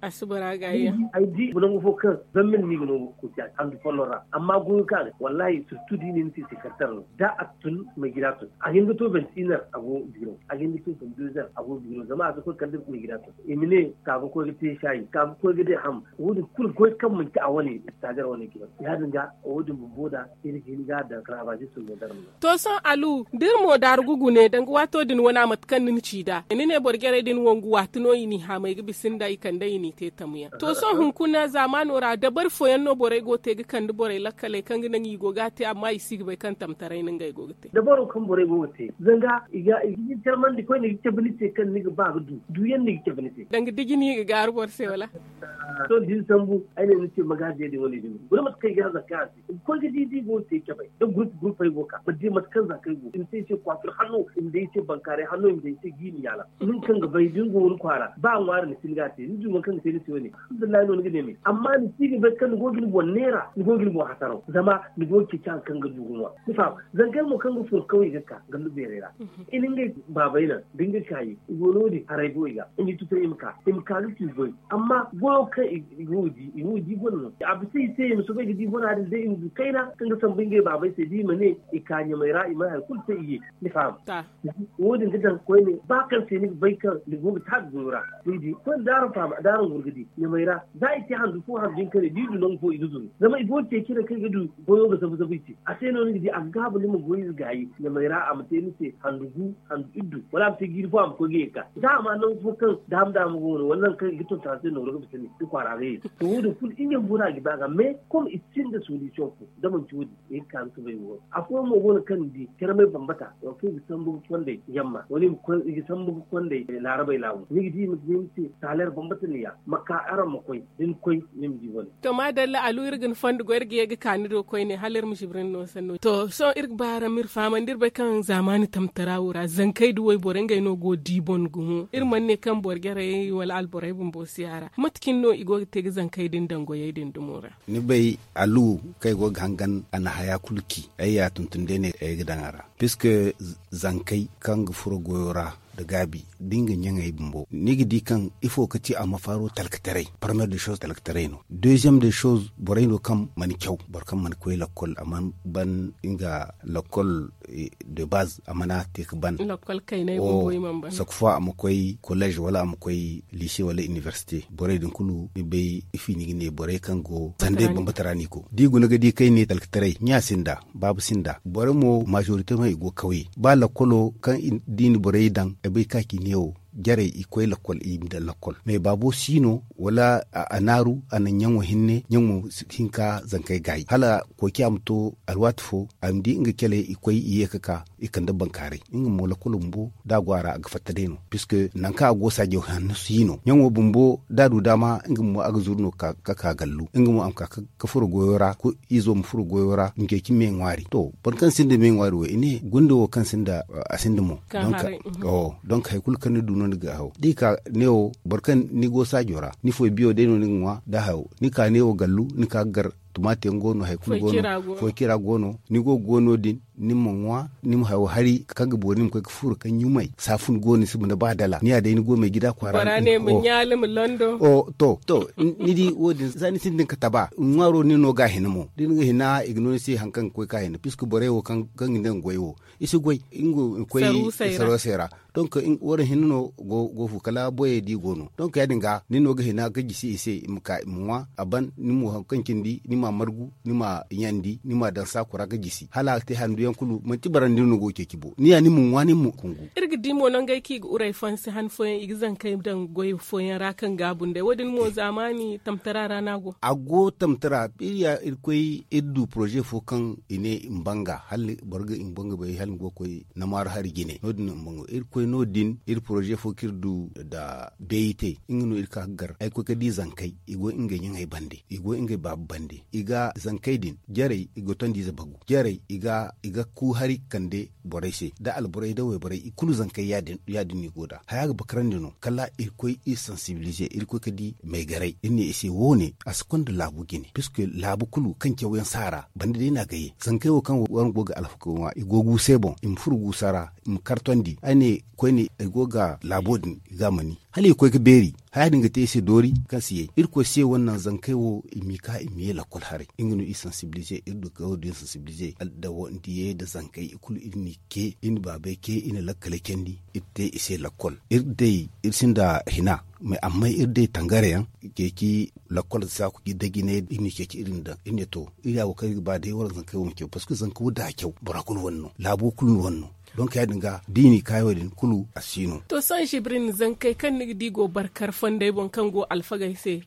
Ay di nangu fo kaŋ zambil no i ga no ga koy te a te handu folloŋ ra amma goyo kaŋ a ga te wallaahi surtu da i ne ni se sekerter no da a tun maygida tun a ga hin ga to benti iner a go biro a ga hin ga to benti dezer a go biro zama a ga koy kala da maygida tun i ma ne ka ga koy ga te saayi ka ga koy ga day ham. Wo- din kulu goy kaŋ manti a wane staazeer wane ga no ya- din ga wo- din bumbo da iri ga hin ga a daŋ kala a ba zista modern no. To sohõ alu da iri mo daaru ga gune danga waato din wane a mate kaŋ ni na ci nd'a ni ne boro jarey din wangu waati no i n'i haamay ga bisa nda i kande i n'i te tamyaŋ to sohõ hunkuna zaamaano ra dabari fooyaŋ no borey go ga te ga kande borey lakkaley kaŋ ga naŋ i go ga a te amma i si ga bay kaŋ tamtaray no ngey go ga te. Dabaro kaŋ borey go ga te zanga i ga hin carmandi koyne ga cabe ni se kaŋ ni ga ba ga du du yaŋ no i ga cabe ni se. Danga diji no i ga gaaru boro se wala? Sohõ da ni sambu ay ne ni se magaaze din wane din guna mate kaŋ i ga hanzar kaŋ a se i ga koy ga di da i go ga te cabay da gurup gurupey go ga ka ma di mate kaŋ za kaŋ ay go i ma te ay se kwaafir hanno i ma day ay se bankaaray hanno i ma day ay se jiiri yaala. Nin kaŋ ga bay da ni go ni kwaara ba a ŋwaari ni si ni ga a te ni du nangu kaŋ ga te ni se wane alhamdulillahi no ni ga ne me amma ni si ga bay kaŋ ni go ga ni boŋ neera ni go ga ni boŋ hasaraw zama ni go ga ceeci hari kaŋ ga du ga ŋwa. Ni faham? Zankey mo kaŋ ga furo kawye ga ka gallu beeray ra i na ngey baabay naŋ da nga kaayi i go no- din haray go i ga i n'i tutay i ma ka i ma ka ga ci goy. Amma goyo kaŋ i go ga di i go ga di bone no a bisa i se i ma soobay ga di bona din day i ma du kayna kaŋ ga sambu ngey baabay se da i ma ne i ka ɲamay ra i mana hari kulu te i ye. Ni faham? Wo- din ga daŋ koyne ba kaŋ se ni ga bay kaŋ ni go ga taabi goyo ra ni di koyne da araŋ faham da araŋ goro ga di ɲamay ra za i te handu fo handu hinka ne da i du nangu fo i ga zuru zama i go ga ceeci ne kaŋ i ga du goyo ga zabu zabu i se. A se no ni ga di a ga gaabu ni ma goy ize gaayi ɲamay ra a ma te ni se handu gu handu iddu wala a ma te jiiri fo a ma koy ga ye ga ka za a ma nangu fo kaŋ daama daama go no wala nangu kaŋ i ga tonton a se nooru ga bisa ni ni kwaara ga ye. To wo- din kulu i ɲambu no a ga ba ga mais comme i sinda solution fo da manti wo- din i ga ka ga soobay wo- din afooyaŋ mo go no kaŋ ni di carmay bambata wala kaŋ i ga sambu ga konday yamma wala i ga sambu ga konday laarabay laabu ni ga di i ma ga ne ni se saaleer bambata ne ya ma ka araŋ ma koy da ni koy ni ma di wane. To maadalla alu iri ga ni fondo goy iri ga ye ga ka ni do koyne hala iri ma zibri ni no sanno to sohõ iri ga ba araŋ ma iri fahamandi iri bay kaŋ zaamaani tamtara wo ra zankey da wayborey ngey no go ga di boŋ gumo iri mana ne kaŋ boro jarey wala alborey bumbo si a ra mate cine no i go ga te ga zankey din daŋ goyey din dumo ra? Ni bay alu kaŋ ay go ga hangan a na haya kulu ci ay ya tuntun day no ay ga daŋ a ra puisque zankey kaŋ ga furo goyo ra nda gaabi da nga ɲaŋey bumbo ni ga di kaŋ ifo ga ti a ma faaro talkataray parmeer de shows talkataray no deuxième de shows borey no kaŋ mana caw boro kaŋ mana koy lakkol a mana ban nga lakkol de base a mana te ga ban. Chaque fois a ma koy collège wala a ma koy lycée wala université borey din kulu ni bay ifi ni ga ne borey kaŋ go sanday bambata ra no i go da i guna ga di kaŋ i ne talkataray ɲa sinda baabu sinda borey mo majorité no i go kawye ba lakkolo kaŋ da i na borey daŋ ay bay ka ci neewo jarey i koy lakkol i ma daŋ lakkol mais baabo si no wala a naaru a na ɲaŋo hinne ɲaŋo hinka zankey gaayi hala koociya ma to alwaati fo a ma di nga cale i koy i ye ga ka i kande bankaaray nga mo lakkolo bumbo da a go a ra a ga fatta day no puisque nangu kaŋ a go saajo hanno si no ɲaŋo bumbo da a du daama nga mo a ga zuru no ga ka gallu nga mo a ma ka ga furo goyo ra izo ma furo goyo ra ma ceeci me ŋwaari to boro kaŋ sinda me ŋwaari wo i ne gunda wo kaŋ sinda a sinda mo. Donc hari kulu kaŋ ni du no ni ga haw da i ka neewo boro kaŋ ni go saajo ra ni foy biyo day no ni ga ŋwa da hayo ni ka neewo gallu ni ka ga gar tumaati yaŋ go no hari kulu go no foy cira go no ni go ga go no- din. ni ma ŋwa, ni ma hayo hari kaŋ ga boori ni ma koy ga furo kaŋ ɲumay saafun go ni si ma ni ba dala ni ya day ni go may gida kwaara. Bora ne ma ɲaali ma londo. To to ni di wo- din za ni sintin ga taba ŋwaaro ni no ga a hina mo da ni ga hina i ga no ni se hari kaŋ ga koy ga a hina piska borey wo kaŋ ga ne nga goy wo i si goy. Nga koy sarusey ra. Donk waraŋ hinne no go fu kala boyey da i go no donk ya- din ga ni no ga hina ga jisi i se i ma ka i ma ŋwa a ban ni mo hari kaŋ cindi ni ma a margu ni ma a ɲandi ni ma a daŋ saakura ga jisi hala a ga te handu yaŋ kulu manti barandi no go ga ceeci bo ni ya ni ma ŋwa ni ma kungu. Iri ga di mo nangey kaŋ i ga uray fansi han fooyaŋ i ga zankey daŋ goy fooyaŋ ra kaŋ gaabu nd'ey wo- din mo zaamaani tamtara ra no a go. A go tamtara iri ya iri koy iri du poroze fo kaŋ i ne i ma banga hala boro ga i ma banga bay hala ni go ga koy namaara hari jine no- din no i ma banga iri koy no- din iri poroze fo kaŋ iri du nda beeyite nga no iri ka ga gar ay ga koy ga di zankey i go ngey ɲaŋey bande i go ngey baabu bande i ga zankey din jarey i ga tondi ize bagu jarey i ga ku hari kande borey se da alborey da wayborey i kulu zankey ya- din no i go nd'a haya ga bakarandi no kala iri koy iri sansibilize iri koy ga di maygaray iri ne i se wo- ne a si konda laabu jine puisque laabu kulu kaŋ cawyaŋ si a ra banda day no a ga ye zankey wo kaŋ waraŋ go ga alfaga ŋwa i go ga wu se boŋ i ma furo guusa ra i ma kartondi ay ne koyne ay go ga laabo din i ga a ma ni hala i ga koy ga beeri haya din ga te i se doori kaŋ si ye irkoy se wane naŋ zankey wo i m'i ka i ma ye lakkol haray nga no i sansibilize iri du ga wo- din sansibilize nda diye nda zankey i kulu iri n'i ce iri na baabey ce iri na lakkaley candi iri te i se lakkol iri day iri sinda hina mais amma iri day tangare yaŋ ceeci lakkol saaku da jinay iri n'i ceeci iri n'i daŋ iri ne to iri ya wo kaŋ iri ga ba day wala zankey wo ma caw parceque zanka wo da a caw bora kulu wane no laabo kulu wane no. Donk ya- din ga da i n'i kaayo din kulu a si no. To sohõ zibrin zankey kaŋ ni ga di go barkar fondey boŋ kaŋ go alfagey se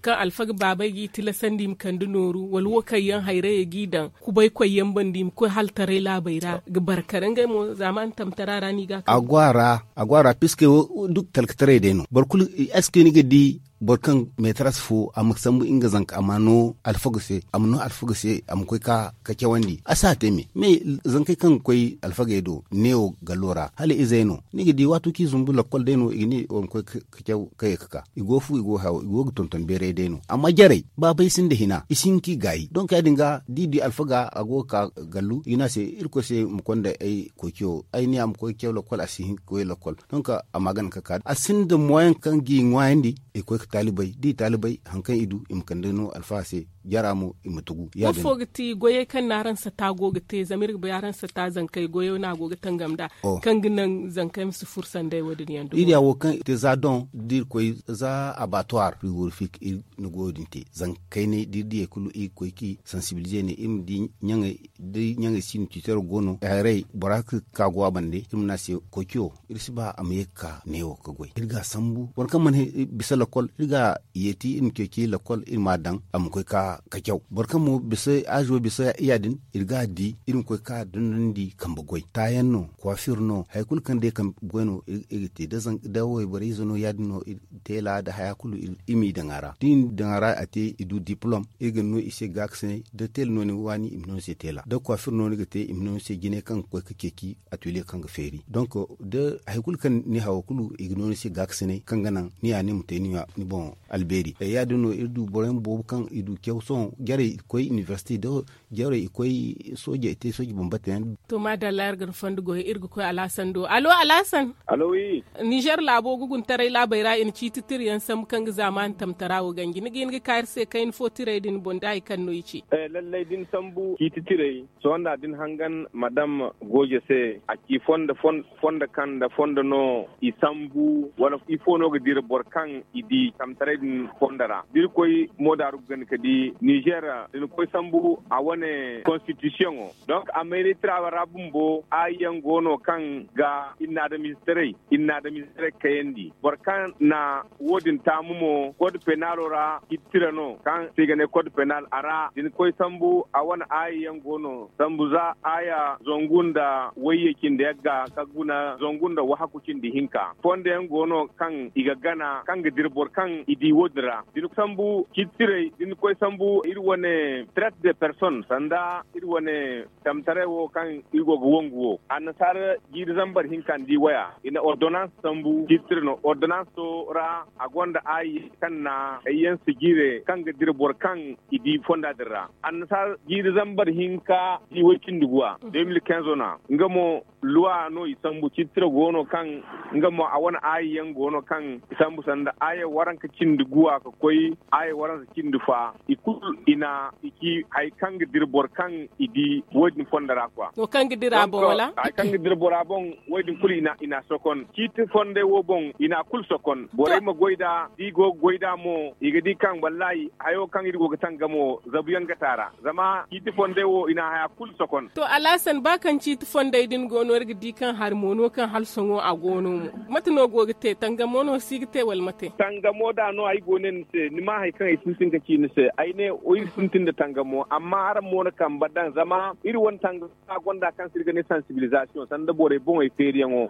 kaŋ alfaga baabey g'i tilasandi i ma kande nooru wala wo kaŋ yaŋ hayrayey g'i daŋ kubaykoy yaŋ banda i ma koy hala taray laabey ra ga barkar ngey mo zaamaani tamtara ra no i ga a go a ra a go a ra piske wo duk talkataray day no boro kulu est ce que ni ga di boro kaŋ meetaras fo a ma sambu nga zanka a ma no alfaga se a ma no alfaga se a ma koy ka cawandi a si a te me me zankey kaŋ ga koy alfagey do neewo gallo ra hala izey no ni ga di waato kaŋ i zumbu lakkol day no i ga ne wala ma koy ka caw ka ye ga ka i go fu i go ga haw i go ga tonton beeray day no amma jarey baabey sinda hina i si hin kaŋ i gaayi donk ya- din ga da i di alfaga a go ga ka gallu i ga ne a se irkoy se ma konda ay koy caw ay ne a ma koy caw lakkol a si hin ga koy lakkol donk a ma gana ga ka a sinda moyen kaŋ ga i ŋwaayandi i ga koy ga taalibey da i taalibey hari kaŋ i du i ma kande no alfaga se jara mo i ma tugu ya- din. Boro fo ga ti goyey kaŋ no araŋ sata go ga te zama iri ga bay araŋ sata zankey goyo no a go ga tangam nd'a kaŋ ga naŋ zankey ma si furo sanday wo- din yaŋ do iri ya wo kaŋ i te za doŋ da iri koy za abattoir frigorifique iri na goyo din te zanka kaynay da iri diyey kulu iri ga koy ga i sansibilize ne iri ma di ɲaŋey da ɲaŋey si no tiitaro go no haray bora ga ka go a bande iri ma ne a se koy cayo iri si ba a ma ye ga ka neewo ga goy iri ga a sambu boro kaŋ mana bisa lakkol iri ga a yeeti iri ma ceeci lakkol iri ma a daŋ a ma koy ga ka caw boro kaŋ mo bisa aazo bisa ya- din iri ga a di iri ma koy ga ka dondonandi kambe goy taayaŋ no kwaafir no hari kulu kaŋ day kambe goy no iri ga te da wayborey ize no ya- din no teela nda haya kulu iri m'i daŋ a ra da i na daŋ a ra a te i du diplom iri ga no i se gaakasinay da teela no ni ga waani i ma no ni se teela da kwaafir no ni ga te i ma no ni se jine kaŋ ga koy ga ceeci atelier kaŋ ga feeri donk da hari kulu kaŋ ni hawo kulu i ga no ni se gaakasinay kaŋ ga naŋ ni ya ni ma te ni boŋ albeeri ya- din no iri du boro yaŋ boobo kaŋ i du caw sohõ jarey i ga koy inibersite da jarey i koy sooje i te sooje bambata yaŋ. To maadalla iri ga ni fondo goy iri ga koy alhasan do allo alhasan. Allo wi. Nizer laabo guguntaray laabey ra i na ciiti tira yaŋ sambu kaŋ ga zaamaani tamtara wo ganji ni ga hin ga ka iri se kayna fo tirey din boŋ da hari kaŋ no i ci. Lallay da ni sambu ciiti tirey sohõ nda da ni hangan madam gooje se a ci fondo fondo kaŋ nda fondo no i sambu wala ifo no ga dira boro kaŋ i di tamtaray din fondo ra da iri koy moodaaru ga gana ga di nizer da ni koy sambu a wane konstitisiyoŋo donk a mayray tira ra bumbo aayi yaŋ go no kaŋ ga iri na adamize taray iri na adamize taray kayandi boro kaŋ na wo- din taamu mo kod penalo ra ciiti tira no kaŋ se i ga ne kod penal a ra da ni koy sambu a wane aayi yaŋ go no sambu za aaya zangu nda wayye cindi yagga ka guna zangu nda wahaku cindi hinka fondo yaŋ go no kaŋ i ga gana kaŋ ga dira boro kaŋ i di wo- din ra da ni sambu ciiti tiray da ni koy sambu iri wane tret de person sanda iri wane tamtaray wo kaŋ iri go ga wangu wo annasaara jiiri zambar hinka ni di waya i na ordonans sambu jiiri no ordonanso ra a gonda aayi kaŋ na hayyaŋ sijiire kaŋ ga dira boro kaŋ i di fonda din ra. Annasaara jiiri zambar hinka di way cindi guwa de mil kinzo na nga mo luwa no i sambu cittira go no kaŋ nga mo a wane aayi yaŋ go no kaŋ i sambu sanda aayi waranka cindi guwa ka koy aayi waranka cindi fa i kulu i na i ci hari kaŋ ga dira boro kaŋ i di wo- din fonda ra kwa. Wo kaŋ ga dira boŋ wala hari kaŋ ga dira bora boŋ wo- din kulu i na sokon ciiti fonday wo boŋ i na a kulu sokon borey ma goy nd'a da i go ga goy nd'a mo i ga di kaŋ wallahi hayo kaŋ iri go ga tangamo zabu yaŋ ga taara zama ciiti fonday wo i na haya kulu sokon. To alhasan ba kaŋ ciiti fonday din go no iri ga di kaŋ hari mo no kaŋ hala sohõ a go no mo mate no go ga te tangamo no si ga te wala mate? Tangamo da no ay go ne ni se ni ma hari kaŋ ay sintin ga ci ni se ay ne iri sintin nda tangamo amma araŋ mo na kambe daŋ zama iri wane tangamo kaŋ a gonda kaŋ se iri ga ne sansibilizasiyoŋ sanda borey boŋey feeriyaŋo.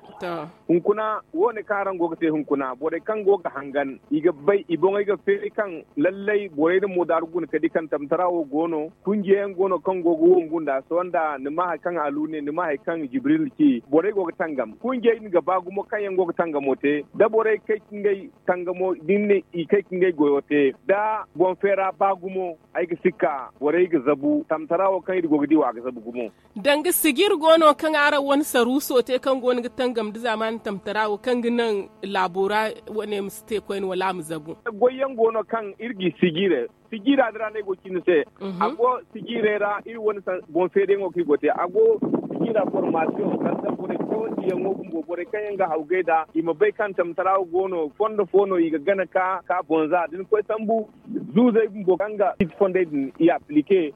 Hunkuna wo- ne kaŋ araŋ go ga te hunkuna borey kaŋ go ga hangan i ga bay i boŋey ga feeri kaŋ lallay borey na moodaaru guna ka di kaŋ tamtara wo go no kunjiyayaŋ go no kaŋ go ga wongu nd'a sohõ nda ni ma hari kaŋ alu ne ni ma hari kaŋ jibril ci borey go ga tangam kunjiyey din ga ba gumo kaŋ yaŋ go ga tangamo te da borey kay ka ngey tangamo da ni ne i kay ka ngey goyo te da boŋ feera ba gumo ay ga sikka borey ga zabu tamtara wo kaŋ iri go ga di wo a ga zabu gumo. Danga sijir go no kaŋ araŋ wane saruuso te kaŋ go no ga tangam nda zaamaani tamtara wo kaŋ ga naŋ laabo ra wane ma si te koyne wala a ma zabu. Goyyaŋ go no kaŋ iri ga i sijire sijira din ra no ay go ga ci ni se. A go sijirey ra iri wane boŋ feeriyaŋo kaŋ iri go ga te a go sijira formaasiyoŋ sanda borey cawandiyaŋo bumbo borey kaŋ yaŋ ga hawgay nd'a i ma bay kaŋ tamtara wo go no fondo fo no i ga gana ka ka boŋ za da ni koy sambu zuuzey bumbo kaŋ ga ciiti fondey din i aplike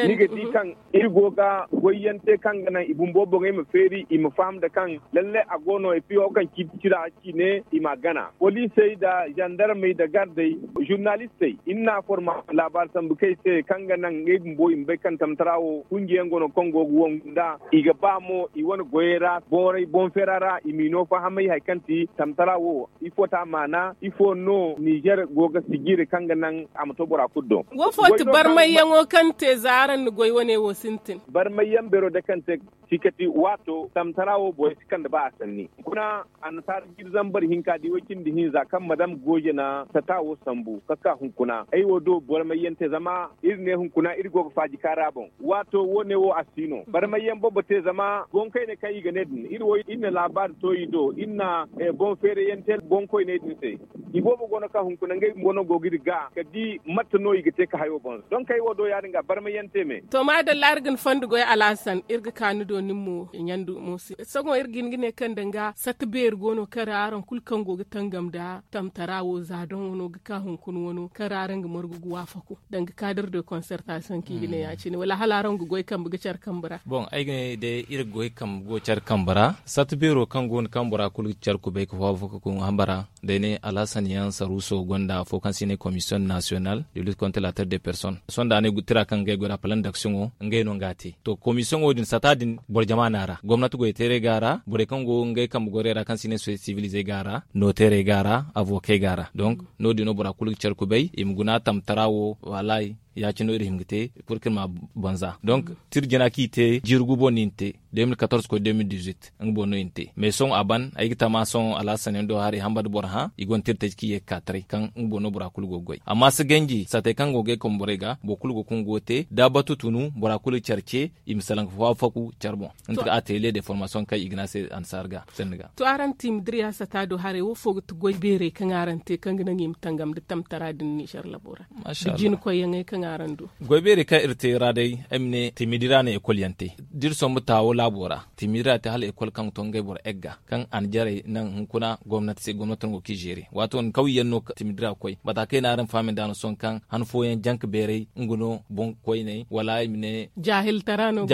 ni ga di kaŋ iri go ga goyyaŋ te kaŋ ga naŋ i bumbo boŋey ma feeri i ma faham nda kaŋ lallay a go no i piyo kaŋ ciiti cira ci ne i m'a gana poliisey nda zandarmey nda gardey zurnalistey iri na forma laabaari sambu kaŋ ay se kaŋ ga naŋ ngey bumbo i ma bay kaŋ tamtara wo kunjiyaŋ go no kaŋ go ga wangu nd'a i ga ba mo i wane goyey ra boŋ feera ra i m'i no fahamay hari kaŋ ti tamtara wo ifo ti a maana ifo no nizer go ga sijiri kaŋ ga naŋ a ma to bora kulu do? Wo fo ti barmayyaŋo kaŋ te za araŋ na goy wane wo sintin? Barmayyaŋ beero day kaŋ te sikati waato tamtara wo borey si kande ba a sanni kuna annasaara jiiri zambar hinka da i way cindi hinza kaŋ madam gooje na sata wo sambu ka ka hunkuna ay wo do barmayyaŋ te zama iri ne hunkuna iri go ga faaji kaara boŋ waato wo-ne wo a si no barmayyaŋ boobo te zama boŋ kayne kaŋ i ga ne din iri wo iri na laabaari to i do iri na boŋ feerayyaŋ te boŋ koyney din se. I boobo go no kaŋ hunkuna ngey bumbo no go ga iri ga ka di mate no i ga te ka hayo boŋ donk ay wo do ya- din ga barmayyaŋ te me. To maadalla iri ga ni fondo goy alhasan iri ga ka ni do nin mo ɲandu mo se sohõ iri ga hin ga ne kaŋ danga satta beeri go no kaŋ ra araŋ kulu kaŋ go ga tangam nda tamtara wo za doŋo no ga ka hunkuna wano kaŋ ra araŋ ga margu ga waafaku danga kaadir de konsertasiyoŋ kaŋ i ga ne ya- cine wala hala araŋ ga goy kambe ga care kambe ra? Boŋ ay ga ne day iri ga goy kambe go care kambe ra satta beero kaŋ go no kaŋ bora kulu ga care kubay ga waafaku hamba ra. Da ay ne alhasan yaŋ saruuso gonda afo kaŋ se i ne komisiyoŋ nasiyonal de lit kontra la terre de person sohõ da a ne tira kaŋ ga ay goy ra palan daksiyoŋo ngey no nga a te to komisiyoŋo din sata din boro jama no a ra gomnati goyteerey go a ra borey kaŋ go ngey kambe goyray ra kaŋ se i ne sosiyete sivilizey go a ra nooteerey go a ra avokey go a ra donk no- din no bora kulu ga care kubay i ma guna tamtara wo wallaahi. Ya- cine no iri hima ga te purkir ma banza donk tirjina kaŋ i te jiiri gubo no i na te de mil katorze koy de mil dizuit nga boŋ no i na te mais sohõ a ban ay ga tama sohõ alhasan yaŋ do haray hamba nda boro hã i gonda tirtaji kaŋ i ye ga ka taray kaŋ nga boŋ no bora kulu go ga goy amma si ganji satey kaŋ go ga ay kamborey ga boro kulu go ga nga go ga te da batu tunu bora kulu ga care ce i ma salaŋ ga faafaku care boŋ. Nga ti ga atelier de formasiyoŋ kaŋ i ga ne a se annasaara ga sanni ga. To araŋ timidiriya sata do haray wo fo ga ti goy beerey kaŋ araŋ te kaŋ ga naŋ i ma tangam nda tamtara din nizer labo ra? Nda jina koyyaŋey kaŋ araŋ du. Goy beerey kaŋ iri te ra day ay ma ne timidira no ekol yaŋ te da iri sombu taawo laabo ra timidira te hala ekol kaŋ ga to ngey boro egga kaŋ a na jarey naŋ hunkuna gomnati se gomnati no go ga i zeere waato din kawyaŋ no timidira ga koy mata kaŋ ay ne araŋ fahamay nd'a no sohõ kaŋ han fooyaŋ janka beerey nga no boŋ koyney wala ay ma ne jaahiltara no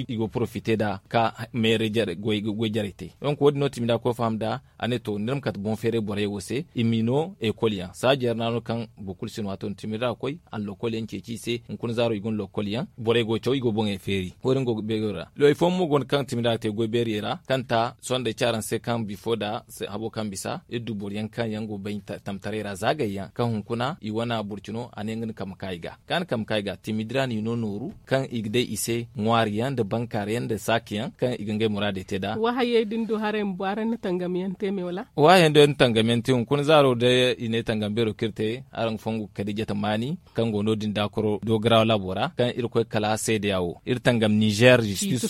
i go ga porofite nd'a ka meeray goy jarey te donk wo- din no timidira ga koy faham nd'a. A ne to ni ra ma kate boŋ feeray borey wo se i m'i no ekol yaŋ saaji yar no a no kaŋ boro kulu si no waato din timidira ga koy a na lokol yaŋ. ceeci i se. Hunkuna zaaro i guna lokol yaŋ borey go ga caw i go ga boŋey feeri. Wo- din go ga beero ra. Loy fooyaŋ mo go no kaŋ timida ga te goy beeriyey ra kaŋ ta sohõ day ci araŋ se kaŋ bifo nda habo kaŋ bisa iri du boro yaŋ kaŋ yaŋ go ga bay tamtaray ra zaagay yaŋ kaŋ hunkuna i wana burcino a ne nga ni kambe ka i ga kaŋ a na kambe ka i ga timidi ra no i no nooru kaŋ i ga day i se ŋwaari yaŋ nda bankaari yaŋ nda saaki yaŋ kaŋ i ga ngey muraadey te nd'a. Wahayey din du haray ma bu araŋ na tangam yaŋ te me wala? Wahayey din du ay na tangam yaŋ te hunkuna zaaro day i ne tangam beero kaŋ iri te araŋ ga fongu kadiijata maani kaŋ go no- din daakoro dogarawa laabo ra kaŋ iri koy kala seedeya wo iri tangam nizer justice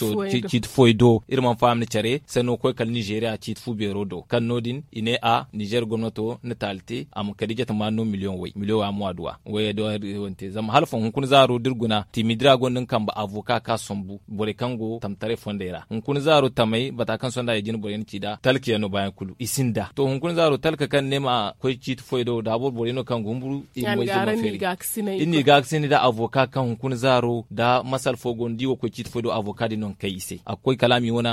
ciiti fooyey do iri mana faham ni care sanno ga koy kala nizeriya ciiti fu beero do kaŋ no- din i ne a nizer gomnato na taali te a ma kadiijata maani no miliyoŋ way miliyoŋ way a ma wa duwa wayey do iri wane te zama hala fo hunkuna zaaro da iri guna timidi ra gonda nga kambe avoka ka sambu borey kaŋ go tamtaray fondey ra hunkuna zaaro tamey bata kaŋ sonda i jina borey na ci nd'a talka yaŋ no baayaŋ kulu i sinda to hunkuna zaaro talka kaŋ ni ne ma koy ciiti foy do da boro borey no kaŋ ga humburu i ga moy zama feeri. Iri n'i ga ga sinda nda avoka kaŋ hunkuna zaaro nda masal fo go no da i wo ga koy ciiti foy do avoka din no ga kay i se a ga koy kala a ma i wane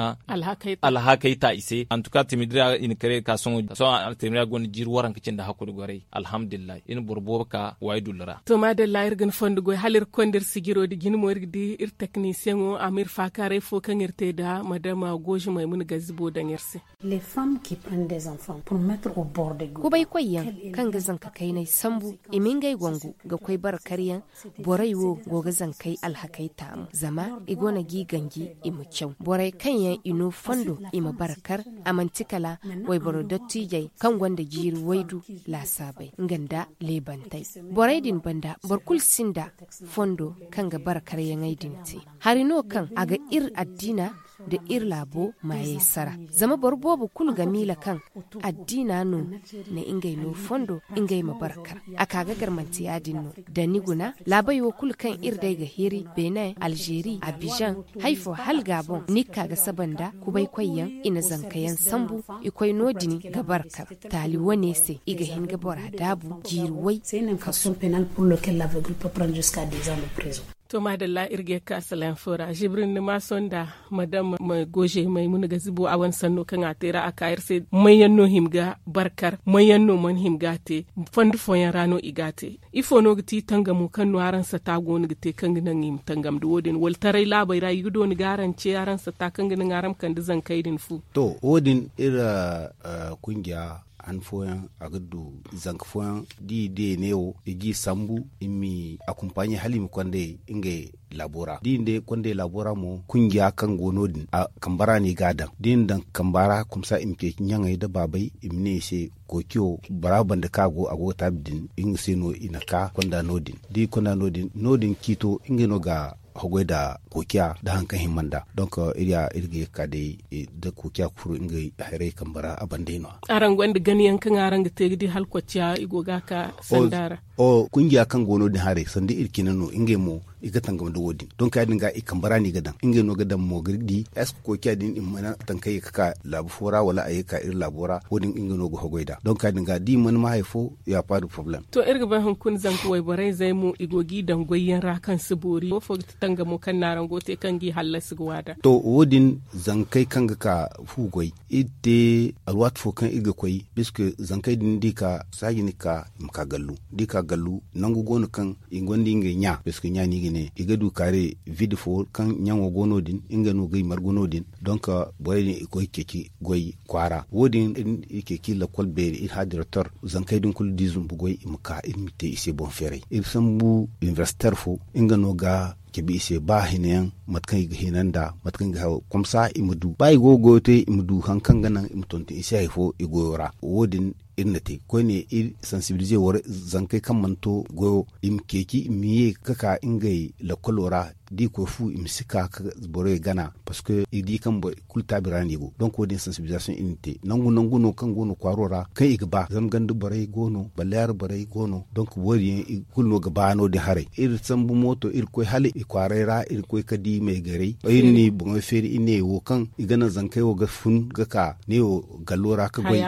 alhakey ta i se antuka timidira i na kare ga ka sohõ sohõ timidira go no jiiri waranka cindi hakku nda goray alhamdulillahi iri na boro boobo ka waydullu ra. To maadalla iri ga ni fondo goy hala iri ga konda iri sijiro nda jine mo iri ga di iri teknisiyeŋo a ma iri faakaaray fo kaŋ iri te nda madama gooze maymuna gazibo daŋ iri se. Kubaykoy yaŋ kaŋ ga zanka kaynay sambu i ma ngey wangu ga koy barkar yaŋ. Borey wo go ga zankey alhakey taamu zama i go no g'i ganji i ma caw borey kaŋ yaŋ i no fondo i ma barkar. A manti kala wayboro dottiijey kaŋ gonda jiiri waydu laasaabey nga nda leebantey. Borey din banda boro kulu sinda fondo kaŋ ga barkaryaŋey din te. Hari no kaŋ a ga iri addiina nda iri laabo maayey sara. Zama boro boobo kulu ga miila kaŋ addiina no na ngey no fondo ngey ma barkar. A ka ga gar manti ya-din no da ni guna laabey wo kulu kaŋ iri day ga hiri benin alzeeri abizaŋ, hari fo hala gaaboŋ ni ga ka ga saba nda kubaykoy yaŋ i na zanka yaŋ sambu. I koy no- din ga barkar taali wane se i ga hin ga bora daabu jiiri way. Kasu. To maadalla iri ga ye ga ka salaŋ fo ra zibri ni ma sonda madam goze maymuna ga zibo a wane sanno kaŋ a te ra a ka iri se. Manyaŋ no hima ga barkar manyaŋ no mana hima ga a te. Fondo fooyaŋ ra no i ga a te. Ifo no ga ti tangamo kaŋ no araŋ sata go no ga te kaŋ ga naŋ i ma tangam nda wo- din wala taray laabey ra i ga dooni ga araŋ ce araŋ sata kaŋ ga naŋ araŋ ma kande zankey din fu? To wo- din iri kungiya han fooyaŋ a ga du zanka fooyaŋ da i deene wo i g'i sambu i ma i akompaɲe hala i ma konday ngey laabo ra da i na day konday laabo ra mo kungiya kaŋ go no- din a kamba ra no i g'a daŋ da i na daŋ kamba ra kumsa i ma ceeci ɲaŋey nda baabey i ma ne i se kookiyo bora banda kaŋ a go a go ga taabi din nga se no i na ka konda no- din da i konda no- din no- din ciito ngey no ga hogey nda kookiya nda hari kaŋ hima nd'a. Donk iri ya iri ga ye ga ka day nda kookiya ga furo ngey hayrey kambe ra a ban day no- ya. Araŋ gonda ganayaŋ kaŋ araŋ ga te ga di hala kocciya i go ga a ka sanda ra? Kungiya kaŋ go no- din haray sanda iri cine no ngey mo i ga tangam nda wo- din donk ya- din ga i kambe ra no i ga daŋ ngey no ga daŋ mo ga di est ce que kookiya din i mana taŋ kaŋ ye ga ka laabu fo ra wala a ye ga ka iri laabo ra wo- din ngey no ga hogey nd'a donk ya- din ga da i mana ma hari fo ya pas de problème. To iri ga bay hunkuna zanka wayborey zey mo i go g'i daŋ goyyaŋ ra kaŋ si boori wo fo ga ti tangamo kaŋ no araŋ go ga te kaŋ g'i hallasi ga waada? To wo- din zankey kaŋ ga ka fu goy iri te alwaati fo kaŋ iri ga koy puisque zankey din da i ka saaji ni ga ka i ma ka gallu da i ka gallu nangu go no kaŋ i gonda ngey ɲa puisque ɲa no i ga ne i ga du kaare vide fo kaŋ ɲaŋo go no- din ngey no g'ay margu no- din. Donk borey din i koy ceeci goy kwaara wo- din iri ceeci lakkol beeri iri hã directeur zankey din kulu da i zumbu goy i ma ka iri ma te i se boŋ feeray iri sambu inibersiter fo nga no ga cabe i se ba hina yaŋ mate kaŋ i ga hina nd'a mate kaŋ i ga hayo komsa i ma du ba i go ga goyo te i ma du hari kaŋ ga naŋ i ma tonton i se hari fo i goyo ra wo- din iri na te koyne iri sansibilize wara zankey kaŋ mana to goyo i ma ceeci i ma ye ga ka ngey lakkolo ra da i koy fu i ma si ka ga borey gana parceque i di kaŋ boro kulu taabi ra no i go donk wo- din sansibilizasiyoŋ iri na te nangu nangu no kaŋ go no kwaaro ra kaŋ i ga ba zama ganda borey go no balleyaara borey go no donk wo- din yaŋ i kulu no ga ba no- din haray iri sambu mooto iri koy hala i kwaaray ra iri koy ga di maygarey iri na i boŋey feeri iri ne wo kaŋ i ga naŋ zankey wo ga fun ga ka ne wo gallo ra ga goy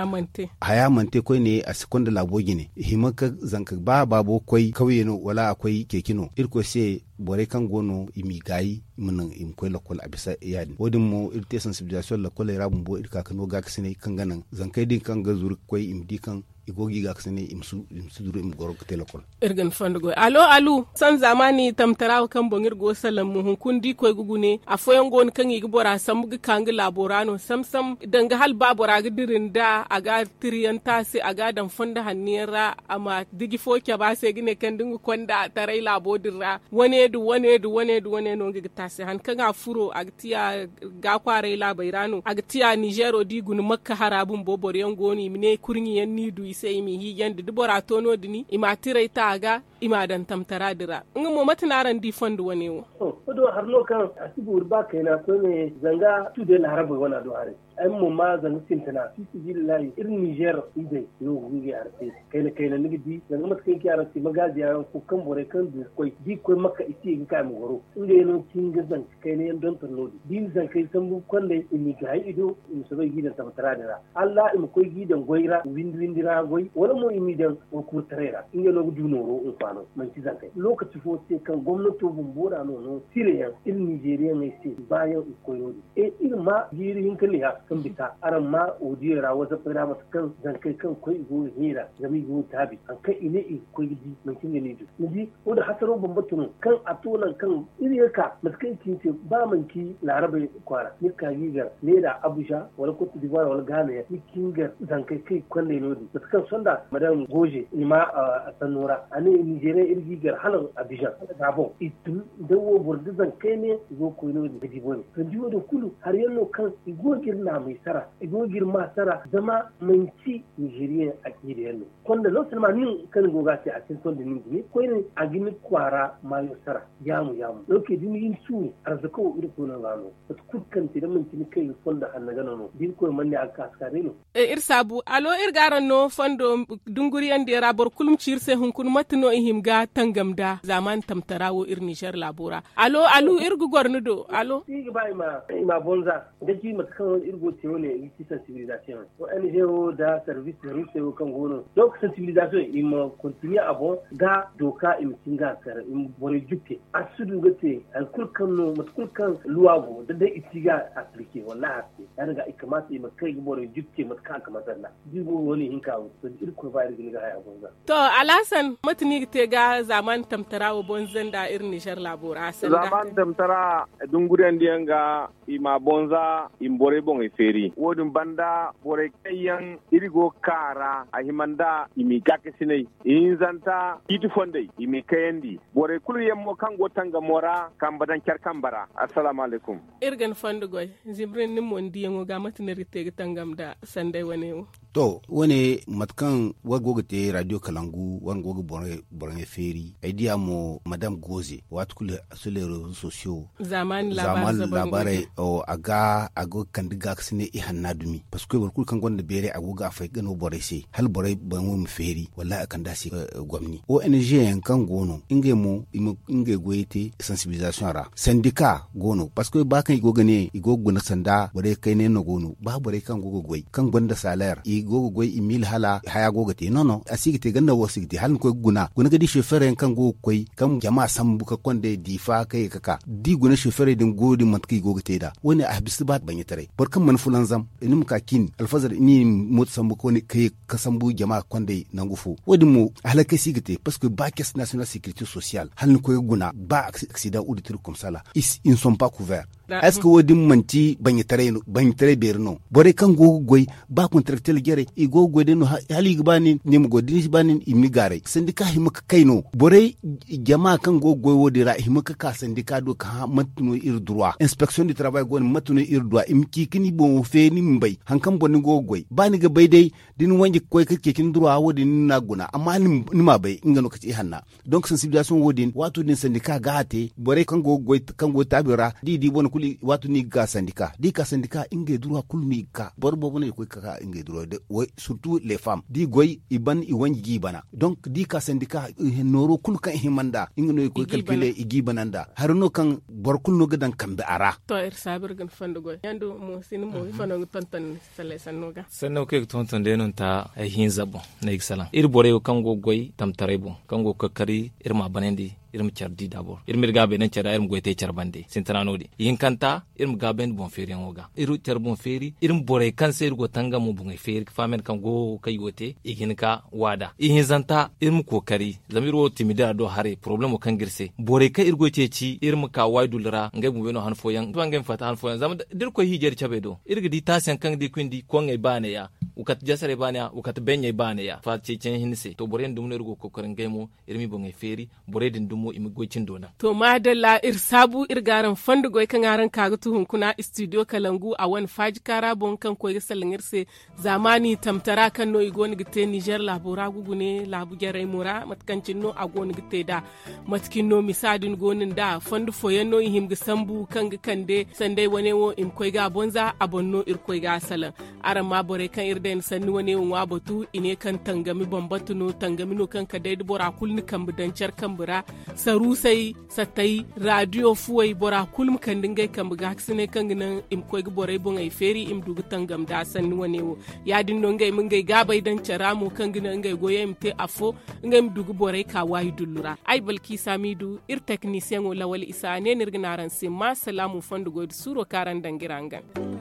haya mana te koyne a si konda laabo jine i hima ga zanka ba baabo koy kawye no wala a koy ceeci no irkoy se borey kaŋ go no i m'i gaayi i ma naŋ i ma koy lakkol a bisa ya- din wo- din mo iri te sansibilizasiyoŋ lakkoley ra bumbo iri ka ga no gaakasinay kaŋ ga naŋ zankey din kaŋ ga zuru ga koy i ma di kaŋ i go ga i ga ka se ne i ma si duru i ma goro ga te lokol. Iri ga ni fondo goy alo alu san zaamaani tamtara wo kaŋ boŋ iri go ga salaŋ mo hunkuna da i koy ga gune afooyaŋ go no kaŋ i ga bora sambu ga ka nga laabo ra no sam-sam danga hala ba bora ga dira nda a ga tiriyaŋ taasi a ga a daŋ fondo hanno yaŋ ra a ma diji fo cabe a se ga ne kaŋ da nga konda taray laabo din ra wane nda wane nda wane nda wane no nga ga taasi han kaŋ a furo a ga tiya ga kwaaray laabey ra no a ga tiya ninzeero da i guna makka hara bumbo boro yaŋ go no i ma ne kurɲe yaŋ no i du i se i m'i hiijandi da bora to no- din i ma a tiray ta a ga i m'a daŋ tamtara din ra. Nga mo mate no araŋ di fondo wane wo? Fondo wo hari no kaŋ a si boori ba kayna koyne zanga tuuday laarabey wana do haray. Ay mo ma zanga sintina fi sabilillahi iri ninzeer izey no ga ngey hari te. Kayna kayna ni ga di zanga mate kaŋ i ci araŋ se magaaziya yaŋ fo kaŋ borey kaŋ du ga koy da i ga koy makka i si ye ga ka i ma goro. Ngey no cin ga zanka kayna yaŋ donton no- din da i na zankey sambu ga kondey i m'i gaayi i do i ma soobay ga i daŋ tamtara din ra. Hala i ma koy ga i daŋ goy ra windi windi ra goy wala mo i m'i daŋ wakuurtaray ra. Ngey no ga du nooro hinfaano manti zankey lookaci fo se kaŋ gomnato bumbo ra no no tirayaŋ iri ninzeeriyaŋey se baayaŋ i ga koy no- din. Iri ma jiiri hinka liha kaŋ bisa araŋ ma odiyo ra wasappey ra mate kaŋ zankey kaŋ ga koy i go ga hiira zama i go ga taabi hari kaŋ i ne i ga koy ga di manti nga no i du. Ni di wo- din hasaro bambata no kaŋ a to nangu kaŋ iri ga ka mate kaŋ i ci ni se ba manti laarabey kwaara ni ga ka ga i gar neera abuja wala kote dibuwar wala gaana yaŋ ni ga ka ni gar zankey kaŋ i ga kondey no- din mate kaŋ sonda madam gooze i ma a sanno ra a ne ninzeeriyaŋ iri ga i gar hala abijan hala gaaboŋ i tun da wo boro da zankey ne i go ga koy no- din ga di bone sanda wo- din kulu hari yaŋ no kaŋ i go ga iri naamey sara i go ga iri ma sara zama manti ninzeeriyaŋ aciida yaŋ no. Konda non selma nin kaŋ ni go ga a te a sintin da nin dumi koyne a ga ni kwaara maayo sara. Yaamu yaamu donke da ni ga ni suuru arzaka wo iri koy no ga no. Mate kulu kaŋ te da manti ni kay ga fondo hanna gana no da iri koy mana ne a ga ka si ka day no. Iri saabu alo iri ga araŋ no fondo dunguriyandiyaŋ ra boro kulu ma ci iri se hunkuna mate no i hima ga tangam nda zaamaani tamtara wo iri ninzeer laabo ra. Alo alu iri ga goro ni do alo. Iri ga ba i ma bonza. Ga ci mate kaŋ iri go ga te wane iri ga ci sansibilizasiyoŋ. Ong wo nda sarvis da ruusey wo kaŋ go no donk sansibilizasiyoŋ i ma kontiniye a boŋ ga dooka i ma cin ga a kar i ma borey jukke a si du ga te hari kulu kaŋ no mate kulu kaŋ luwa go da day i si ga aplike wallahi a si te ya- din ga i kamaata i ma kay ga borey jukke mate kaŋ a ga masar nd'a. Da i go ga wane hinka wo to da iri koy ba iri ga ni ga haya boŋ ga. To alhasan mate no i ga te ga zaamaani tamtara wo boŋ zanda iri nizer laabo ra sanda. Zaamaani tamtara dunguriyandiyaŋ ga i ma bonza i ma borey boŋey feeri wo- din banda borey kaŋ yaŋ iri go ga ka a ra a hima nda i m'i gaakasinay ihinzanta ciiti fondey i m'i kayandi. Borey kulu yaŋ mo kaŋ go tangamo ra kambe daŋ care kambe ra. Assalaamu alaykum. Iri ga ni fondo goy. Zimrin nin mo ni diyaŋo ga mate no iri ga te ga tangam nda sanday wane wo? To wane mate kaŋ war go ga te radio kalangu war go ga boroyaŋ feeri ay diya mo madam goze waati kulu sur les reseaux sociaux. Zaamaani laabaarey a ga a go ga kande gaakasinay ihanna dumi parceque boro kulu kaŋ gonda beeray a go ga a fay ga no borey se hala borey boŋo ma feeri wallahi a kande a se gomni ong yaŋ kaŋ go no ngey mo i ma ngey goyey te sensibilisation ra sandika go no parceque ba kaŋ i go ga ne i go ga guna sanda borey kayna yaŋ no go no ba borey kaŋ go ga goy kaŋ gonda saler i go ga goy i mil hala haya go ga te no no a si ga te ganda wo si ga te hala ni koy ga guna guna ga di chauffeur yaŋ kaŋ go ga koy kaŋ jama sambu ka konda diifa ka ye ka ka da i guna chauffeur din go din mate kaŋ i go ga te nd'a wo- ne a bisa ba baɲataray boro kaŋ mana fulanzam ni ma ka cin alfazar ni ma mooto sambu ka ye ka sambu jama kondey nangu fo wo- din mo halakey si ga te parceque ba caisse national sécurité sociale hala ni koy ga guna ba accident ou de truc comme ça là ils ne sont pas couverts. Est ce que wo- din manti baɲataray beeri no borey kaŋ go ga goy ba contractuel jarey i go ga goy day no hala i ga ba nin ni ma goy da ni si ba nin i ma ni gaaray sandika hima ga kay no borey jama kaŋ go ga goy wo- din ra i hima ga ka sandika do ga hã mate no iri droit inspection du travail go no mate no iri droit i ma ci ga ni boŋo feeri ni ma bay hari kaŋ boŋ ni go ga goy ba ni ga bay day da ni wanji ga koy ga ceeci ni droit wo- din ni n'a guna amma ni m'a bay nga no ga ci ihanna. Donc sensibilisation wo- din waato din sandika ga a te borey kaŋ go ga taabi ra da i di bone kulu waato no i ga ka sandika da i ka sandika ngey droit kulu no i ga ka boro boobo no i ga koy ga ka ngey droit surtout les femmes da i goy i ban i wanji ga i bana donc da i ka sandika nooro kulu kaŋ i hima nd'a nga no i ga koy calculer i ga i bana nd'a hari no kaŋ boro kulu no ga daŋ kambe a ra. To iri saabu iri ga ni fondo goy yando mo si ni mo ifo no ni ga tonton ni sallay sanno ga. Sanno kaŋ i ga tonton day no ni ta ay hinza boŋ no ay ga salaŋ iri borey wo kaŋ go ga goy tamtaray boŋ kaŋ go ga koy ga kar iri ma a banandi. iri ma care di dabor, iri ma iri gaabay daŋ care ra, iri ma goy te care bande sintina no- din. Ihinkanta, iri ma gaabayandi boŋ feeriyaŋo ga, iri care boŋ feeri, iri ma borey kaŋ se iri go tangamo boŋey feeri ga faham yaŋ kaŋ go kaŋ i go te i ga hin ka waada. Ihinzanta, iri ma kookari zama iri wo timidira do haray porobalemo kaŋ ga iri se borey kaŋ iri goy ceeci iri ma ka waydul ra ngey bumey no han fooyaŋ ba ngey ma fatta han fooyaŋ zama da iri koy hiijay da cabey do iri ga di taasiyaŋ kaŋ ga di ga koy nda i koŋŋey baaney ya, wa kate jasarey baaney ya, wa kate beɲey baaney ya faata ceeciyaŋ hinne se to boro yaŋ dumi no iri go ga kookari ngey mo iri m'i boŋey feeri. Borey din dumo i ma goy cindo naŋ. To maadalla iri saabu iri ga araŋ fondo goy kaŋ araŋ ka ga tu hunkuna istidiyo kalangu a wane faaji kaara boŋ kaŋ koy ga salaŋ iri se. Zaamaani tamtara kaŋ no i go no ga te nizer laabo ra gugu ne laabu jarey mo ra mate kaŋ cine no a go no ga te nd'a. Mate cine no misa din go no nd'a fondo fooyaŋ no i hima ga sambu kaŋ ga kande sanday wane wo i ma koy ga a boŋ za a boŋ no iri koy ga a salaŋ. Araŋ ma borey kaŋ iri day ni sanni wane wo ŋwa batu i ne kaŋ tangami bambata no tangami no kaŋ ka day da bora kulu ni kambe daŋ care kambe ra. Saruusey sattey raadiyo fuwey bora kulu ma kande ngey kambe gaakasiney kaŋ ga naŋ i ma koy ga borey boŋey feeri i ma du ga tangam nd'a sanni wane wo. Ya- din no ngey ma ngey gaabey daŋ care ra mo kaŋ ga naŋ ngey goyey ma te afo ngey ma du ga borey ka waayi dullu ra ay balkiisa m'i du iri teknisiyeŋo lawal isa a ne no iri ga ne araŋ se ma salaamu fondo goy nda suuro kaŋ araŋ daŋ ga iri hangan.